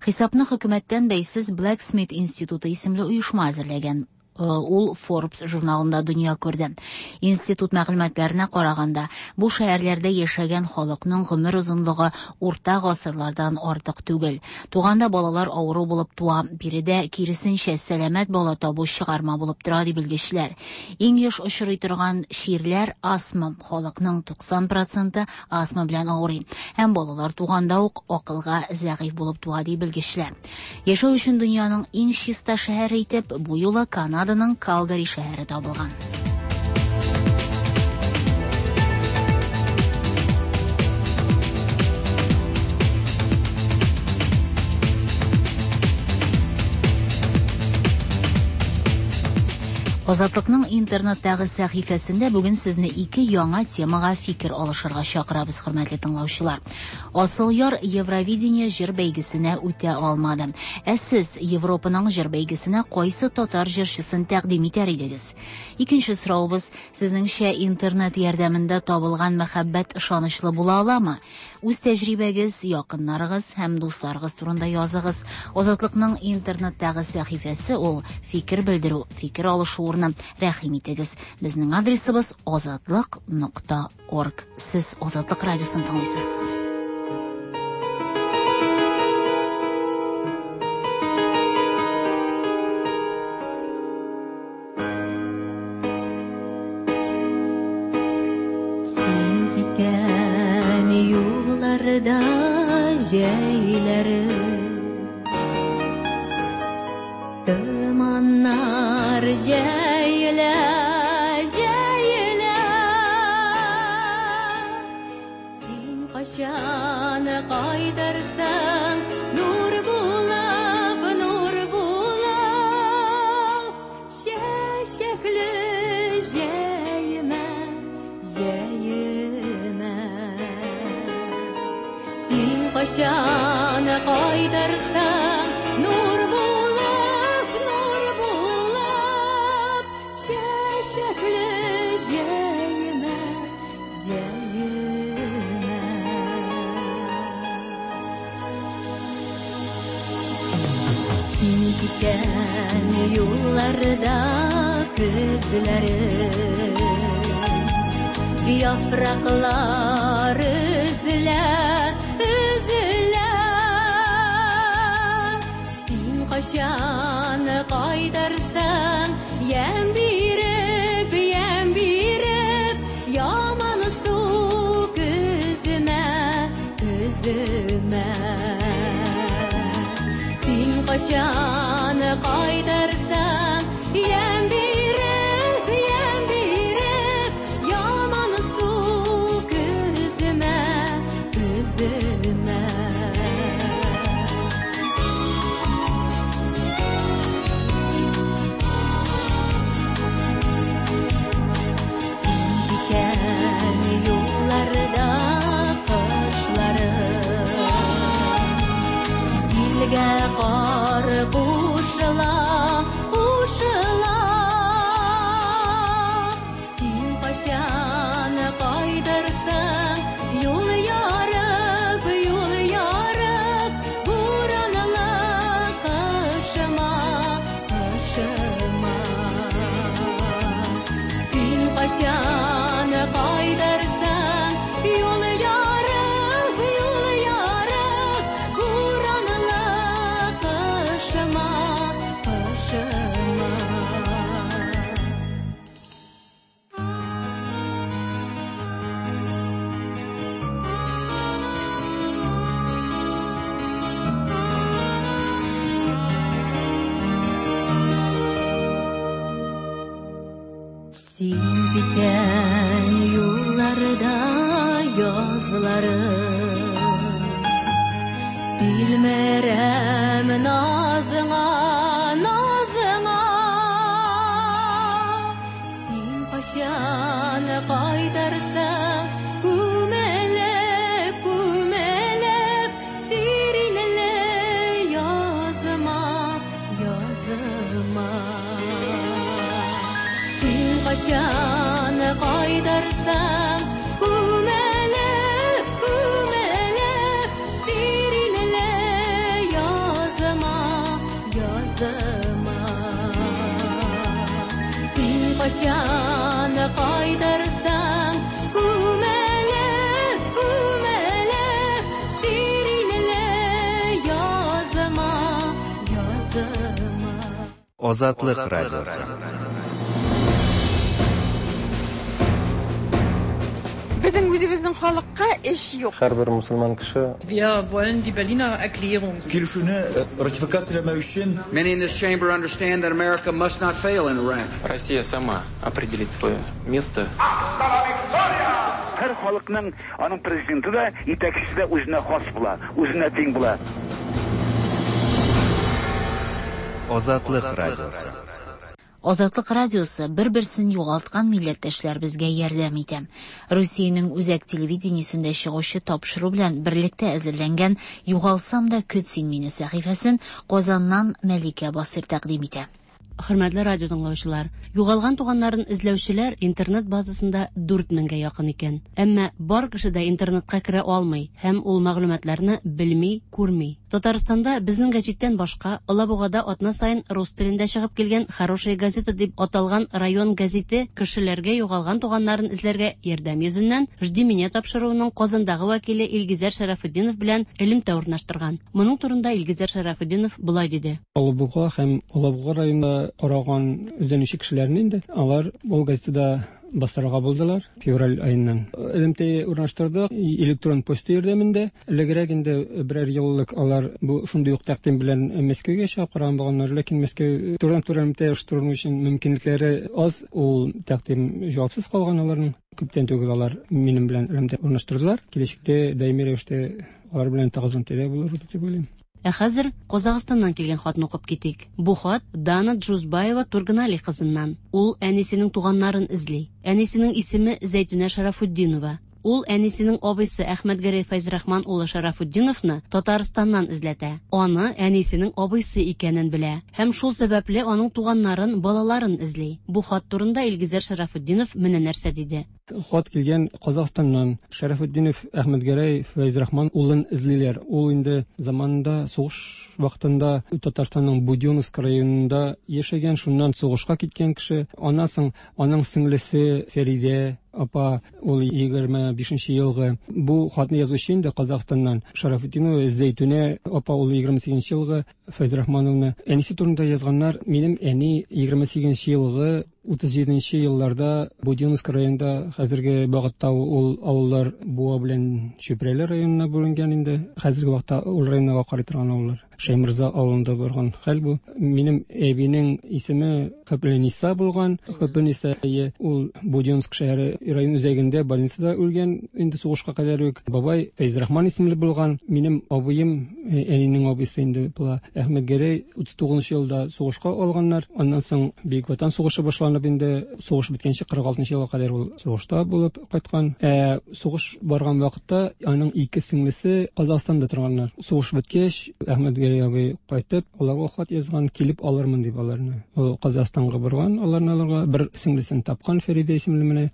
Хисапны хөкүмәттән бәйсез Blacksmith институты исемле оешма әзерләгән. Ул Forbes журналында дөнья күрде. Институт мәгълүматларына караганда, бу шәһәрләрдә яшәгән халыкның гомер озынлыгы урта гасырлардан артык түгел. Туганда балалар авыру булып туа, биредә киресенчә сәламәт бала табу чыгарма булып тора ди белгечләр. Иң еш очрый торган чирләр астма. Халыкның туксан проценты астма белән авырый. Һәм балалар туганда ук акылга зәгыйфь булып туа ди белгечләр. Яшәү өчен дөньяның иң чиста шәһәре итеп бу юлы Канада Канаданың Калгари шәһәре табылган. Азатлыкның интернеттагы сәхифәсендә бүген сезне ике яңа темага фикер алышырга чакырабыз, хөрмәтле тыңлаучылар. Асылъяр Евровидение җыр бәйгесенә үтә алмады. Ә сез Европаның җыр бәйгесенә кайсы татар җырчысын тәкъдим итәр идегез? Икенче соравыбыз, сезнеңчә интернет ярдәмендә табылган мәхәббәт ышанычлы була аламы? Үз тәҗрибәгез, якыннарыгыз һәм дусларыгыз турында языгыз. Азатлыкның интернеттагы сәхифәсе ул фикер белдерү, фикер алышу урыны. Рәхим итегез. Безнең адресыбыз азатлык нокта орг. Сез Азатлык радиосын тыңлыйсыз. Син киткән юлларда җәйләре томаннар җәелә, җәелә. Син кайчан кайтырсың, нур булып, нур булып, чәчәкле җәймә, җәймә. Син кайчан кайтырсың, нур булып, нур булып, чәчәкле җәймә, җәймә. Син киткән юлларда көзләре, яфраклар өзелә, өзелә. Син кайчан кайтырсың, ямь биреп, ямь биреп, ямансу көземә, көземә. Син кайчан кайтырсың, ямь биреп, ямь биреп, ямансу көземә, көземә. Яфраклары. Тилмерәм назыңа, назыңа, син кайчан кайтарсың, күмелеп, күмелеп, сиренле языма, языма. Син кайчан кайтарсың, күмелеп, күмелеп, сиренле языма, языма. Син кайчан кайтарсың, күмелеп, күмелеп, сиренле языма, языма. Азатлык радиосы. Безнең үзебезнең халыкка эш юк. Һәрбер мөселман кеше Wir wollen die Berliner Erklärung. Килешүне ратификацияләмәү өчен Many in this chamber understand that America must not fail in Iraq. Россия сама определит свое место. Һәр халыкның аның президенты да, итәкчесе дә үзенә хас була, үзенә тиң була. Азатлык радиосы. Азатлык радиосы бер-берсен югалткан милләттәшләребезгә ярдәм итә. Русиянең үзәк телевидениесендә чыгучы тапшыру белән берлектә әзерләнгән «Югалсам да көт син мине» сәхифәсен Казаннан Мәликә Басыр тәкъдим итә. Хөрмәтле радио тыңлаучылар, югалган туганнарын эзләүчеләр интернет базасында дүрт меңгә якын икән. Әмма бар кеше дә интернетка керә алмый һәм ул мәгълүматларны белми, күрми. Татарстанда безнең гәҗиттән башка Алабугада атна саен рус телендә чыгып килгән «Хорошая газета» дип аталган район гәзите кешеләргә югалган туганнарын эзләргә ярдәм йөзеннән «Жди меня» тапшыруының Казандагы вәкиле Илгизәр Шәрәфетдинов белән элемтә урнаштырган. Моның турында Илгизәр Шәрәфетдинов болай диде. Алабуга һәм Алабуга районында караган эзләнүче кешеләрне инде алар ул газетада бастырырга булдылар февраль аеннан. Элемтә урнаштырдык электрон почта ярдәмендә. Элегрәк инде берәр еллык алар бу шундый ук тәкъдим белән Мәскәүгә чыгып караган булганнар, ләкин Мәскәү турыдан-туры элемтә оештыру өчен мөмкинлекләре аз, ул тәкъдим җавапсыз калган аларның. Күптән түгел алар минем белән элемтә урнаштырдылар. Киләчәктә даими рәвештә алар белән тыгыз элемтәдә булыр дип уйлыйм. Ә хәзер Казахстаннан килгән хатны укып китик. Бу хат Дана Джузбаева Турганали кызыннан. Ул әнисенең туганнарын эзли. Әнисенең исеме Зәйтүнә Шарафутдинова. Ул әнисенең абыйсы Әхмәтгәрәй Фәйзрахман улы Шарафутдиновны Татарстаннан эзләтә. Аны әнисенең абыйсы икәнен белә һәм шул сәбәпле аның туганнарын, балаларын эзли. Бу хат турында Илгизәр Шарафутдинов менә нәрсә диде. Хат килгән Казахстаннан. Шарафутдинов Әхмәтгәрәй Фәйзрахман улын эзлиләр. Ул инде заманында сугыш вакытында Татарстанның Будённовск районында яшәгән, шуннан сугышка киткән кеше. Аннан соң аның сеңлесе Фәридә апа, ул егерме бишенче елгы. Бу хатны язучы инде Казахстаннан Шарафутдинова Зәйтүнә апа, ул егерме сигезенче елгы Фәйзрахмановна. Әнисе турында язганнар. Минем әни егерме сигезенче елгы утыз җиденче елларда Будённовск районында, хәзерге вакытта ул авыллар Буа белән Чүпрәле районына бүленгән инде. Хәзерге вакытта ул районга карый торган авыллар. Шәймырза авылында барган хәл бу. Минем әбинең исеме Хөплениса булган. Хөплениса ул Будённовск шәһәре район үзәгендә больницада үлгән инде сугышка кадәр үк. Бабай Фәйзрахман исемле булган. Минем абыем, әнинең абыйсы инде була, Әхмәтгәрәй утыз тугызынчы елда сугышка алганнар. Аннан соң Бөек Ватан сугышы башланып инде сугыш беткәнче кырык алтынчы елга кадәр ул сугышта булып кайткан. Ә сугыш барган вакытта аның ике сеңлесе Казахстанда торганнар. Сугыш беткәч, Әхмәтгәрәй абый кайтып, аларга хат язган, килеп алырмын дип аларны. Ул Казахстанга барган, аларны алырга бер сеңлесен тапкан, Фәридә исемле менә.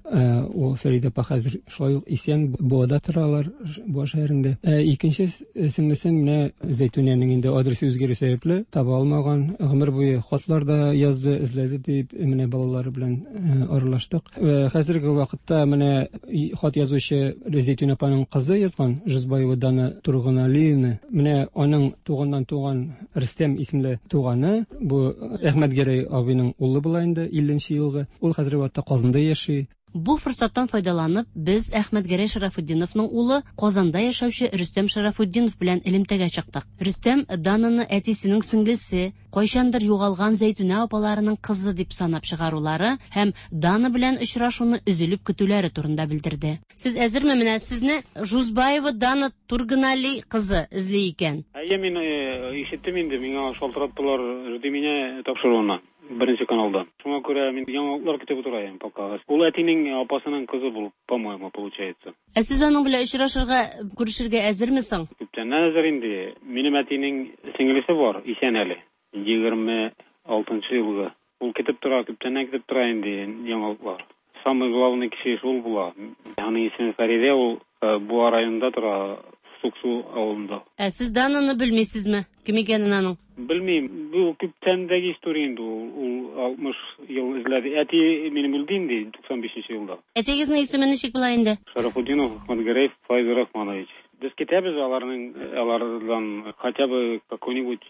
Ул Фәридә апа хәзер шулай ук исән, Буада торалар, Буа шәһәрендә. Ә икенче сеңлесен менә Зәйтүнәнең инде адресы үзгәрү сәбәпле таба алмаган. Гомер буе хатлар да язды, эзләде дип менә балалары белән аралаштык. Хәзерге вакытта менә хат язучы Зәйтүнә апаның кызы язган, Жузбаева Дана Турганалиевна. Менә аның туганнан туган Рөстәм исемле туганы, бу Әхмәтгәрәй абыйның улы була инде, илленче елгы. Ул хәзерге вакытта Казанда яши. Бу форсаттан файдаланып, без Әхмәтгәрәй Шарафутдиновның улы Казанда яшәүче Рөстәм Шарафутдинов белән элемтәгә чыктык. Рөстәм Дананы әтисенең сеңлесе, кайчандыр югалган Зәйтүнә апаларының кызы дип санап чыгарулары һәм Дана белән очрашуны өзелеп көтүләре турында белдерде. Сез әзерме? Менә сезне Жузбаева Дана Турганали кызы эзли икән. Әйе, мин ишеттем инде, миңа шалтыраттылар «Жди меня» тапшыруына. Беренче каналда. Шуңа күрә мин яңалыклар көтеп утырайым пока. Ул әтинең апасының кызы булып, по-моему, получается. Ә сез аның белән очрашырга, күрешергә әзерме соң? Күптәннән әзер инде. Минем әтинең сеңлесе бар, исән әле. Егерме алтынчы елгы. Ул көтеп тора, күптәннән көтеп тора инде яңалыклар. Самый главный кеше шул була. Аның исеме Фәридә, ул Буа районында тора, Суксу авылында. Ә сез Дананы белмисезме? Кем икәнен аның? Белмим. Бу күптәндәге история инде ул. Ул алтмыш ел эзләде. Әти минем үлде инде туксан бишенче елда. Әтигезнең исеме ничек була инде? Шарафутдинов Әхмәтгәрәй Файз Рахманович. Без китәбез аларның, алардан хотя бы какое-нибудь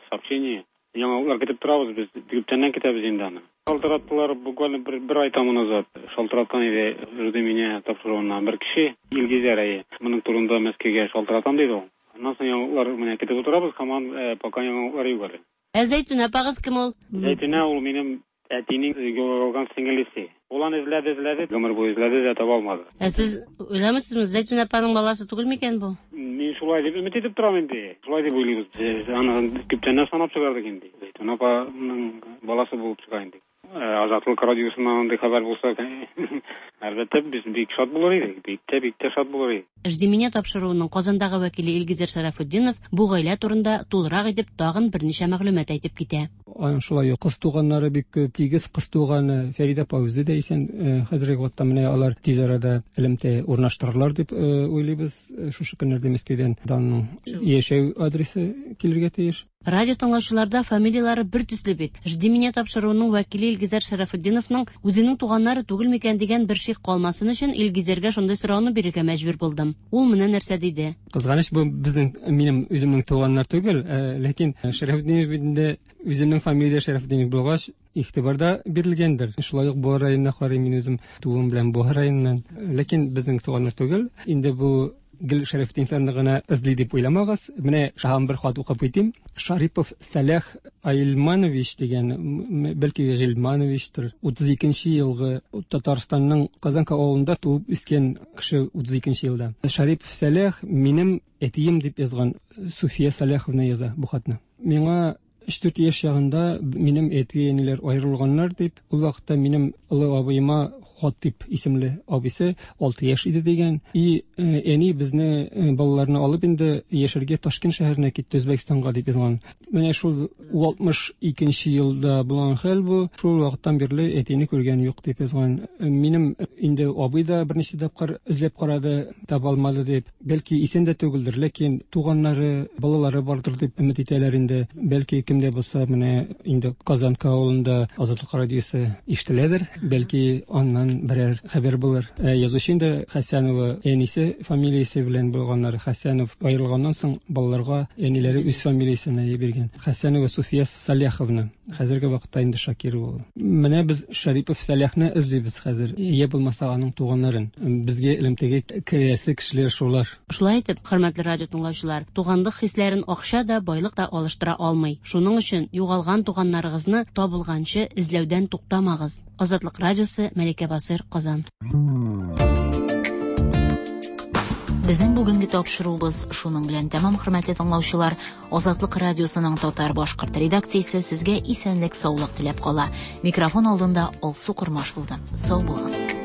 сообщение. Яңалыклар көтеп торабыз без. Күптәннән көтәбез инде аны. Шалтыраттылар буквально бер, бер ай тому назад. Шалтыраткан иде «Жди меня» тапшыруыннан бер кеше, Илгизәр әйе. Моның турында Мәскәүгә шалтыратам диде ул. Аннан соң яңалыклар менә көтеп утырабыз, һаман пока яңалыклар юк әле. Ә Зәйтүнә апагыз кем ул? Зәйтүнә ул минем әтинең югалган сеңлесе. Ул аны эзләде, эзләде, гомер буе эзләде дә таба алмады. Ә сез уйламыйсызмы, Зәйтүнә апаның баласы түгел микән бу? Мин шулай дип өмет итеп торам инде. Шулай дип уйлыйбыз. Без аны күптәннән санап чыгардык инде. Зәйтүнә апаның баласы булып чыга инде. Азатлык радиосыннан андый хәбәр булса, әлбәттә, без бик шат булыр идек, бик тә, бик тә шат булыр идек. «Жди меня» тапшыруының Казандагы вәкиле Илгизәр Шарафутдинов бу гаилә турында тулырак итеп тагын берничә мәгълүмат әйтеп китә. Аның шулай ук кыз туганнары бик күп, тигез кыз туганы Фәридә апа үзе дә исән. Хәзерге вакытта менә алар тиз арада элемтә урнаштырырлар дип уйлыйбыз. Шушы көннәрдә Мәскәүдән Данның яшәү адресы килергә тиеш. Радио тыңлаучыларда фамилиялары бер төсле бит. «Жди меня» тапшыруының вәкиле Илгизәр Шарафутдиновның үзенең туганнары түгел микән дигән бер шик калмасын өчен Илгизәргә шундый сорауны бирергә мәҗбүр булдым. Ул менә нәрсә диде. Кызганыч, бу безнең, минем үземнең туганнар түгел, ләкин Шарафутдинов бит инде үземнең фамилия Шарафутдинов булгач, игътибар да бирелгәндер. Шулай ук Буа районына карыйм, мин үзем туым белән Буа районыннан. Ләкин безнең туганнар түгел. Инде бу гел Шарафутдиновларны гына эзли дип уйламагыз. Менә шаһам бер хат укып китим. Шарипов Сәлах Айлманович дигән, бәлки Гыйльмановичтыр, утыз икенче елгы Татарстанның Казанка авылында туып үскән кеше, утыз икенче елда. Шарипов Сәлах минем әтием дип язган Суфия Сәлаховна яза бу хатны. Миңа өч-дүрт яшь чагында минем әти-әниләр аерылганнар дип, ул вакытта минем олы абыема Хатип исемле абыйсы алты яшь иде дигән. И әни безне балаларны алып инде яшәргә Ташкент шәһәренә китте, Үзбәкстанга дип язган. Менә шул алтмыш икенче елда булган хәл бу. Шул вакыттан бирле әтине күргән юк дип язган. Минем инде абый да берничә тапкыр эзләп карады, таба алмады дип. Бәлки исән дә түгелдер, ләкин туганнары, балалары бардыр дип өмет итәләр инде. Бәлки кемдә булса, менә инде Казанка авылында Азатлык радиосы ишетеләдер, бәлки аннан берәр хәбәр булыр. Язучы инде Хәсәнова әнисе фамилиясе белән булганнар. Хәсәнов аерылганнан соң балаларга әниләре үз фамилиясен биргән. Хәсәнова Суфия Саляховна. Хәзерге вакытта инде Шакирова ул. Менә без Шарипов Сәлахны эзлибез хәзер. Я булмаса аның туганнарын. Безгә элемтәгә керәсе кешеләр шулар. Шулай итеп, хөрмәтле радио тыңлаучылар, туганлык хисләрен акча да, байлык та алыштыра алмый. Шуның өчен югалган туганнарыгызны табылганчы эзләүдән туктамагыз. Азатлык радиосы, Мәликә Басыр, Казан. Безнең бүгенге тапшыруыбыз шуның белән тәмам, хөрмәтле тыңлаучылар. Азатлык радиосының татар башкорт редакциясе сезгә исәнлек, саулык теләп кала. Микрофон алдында Алсу Кормаш булды. Сау булыгыз.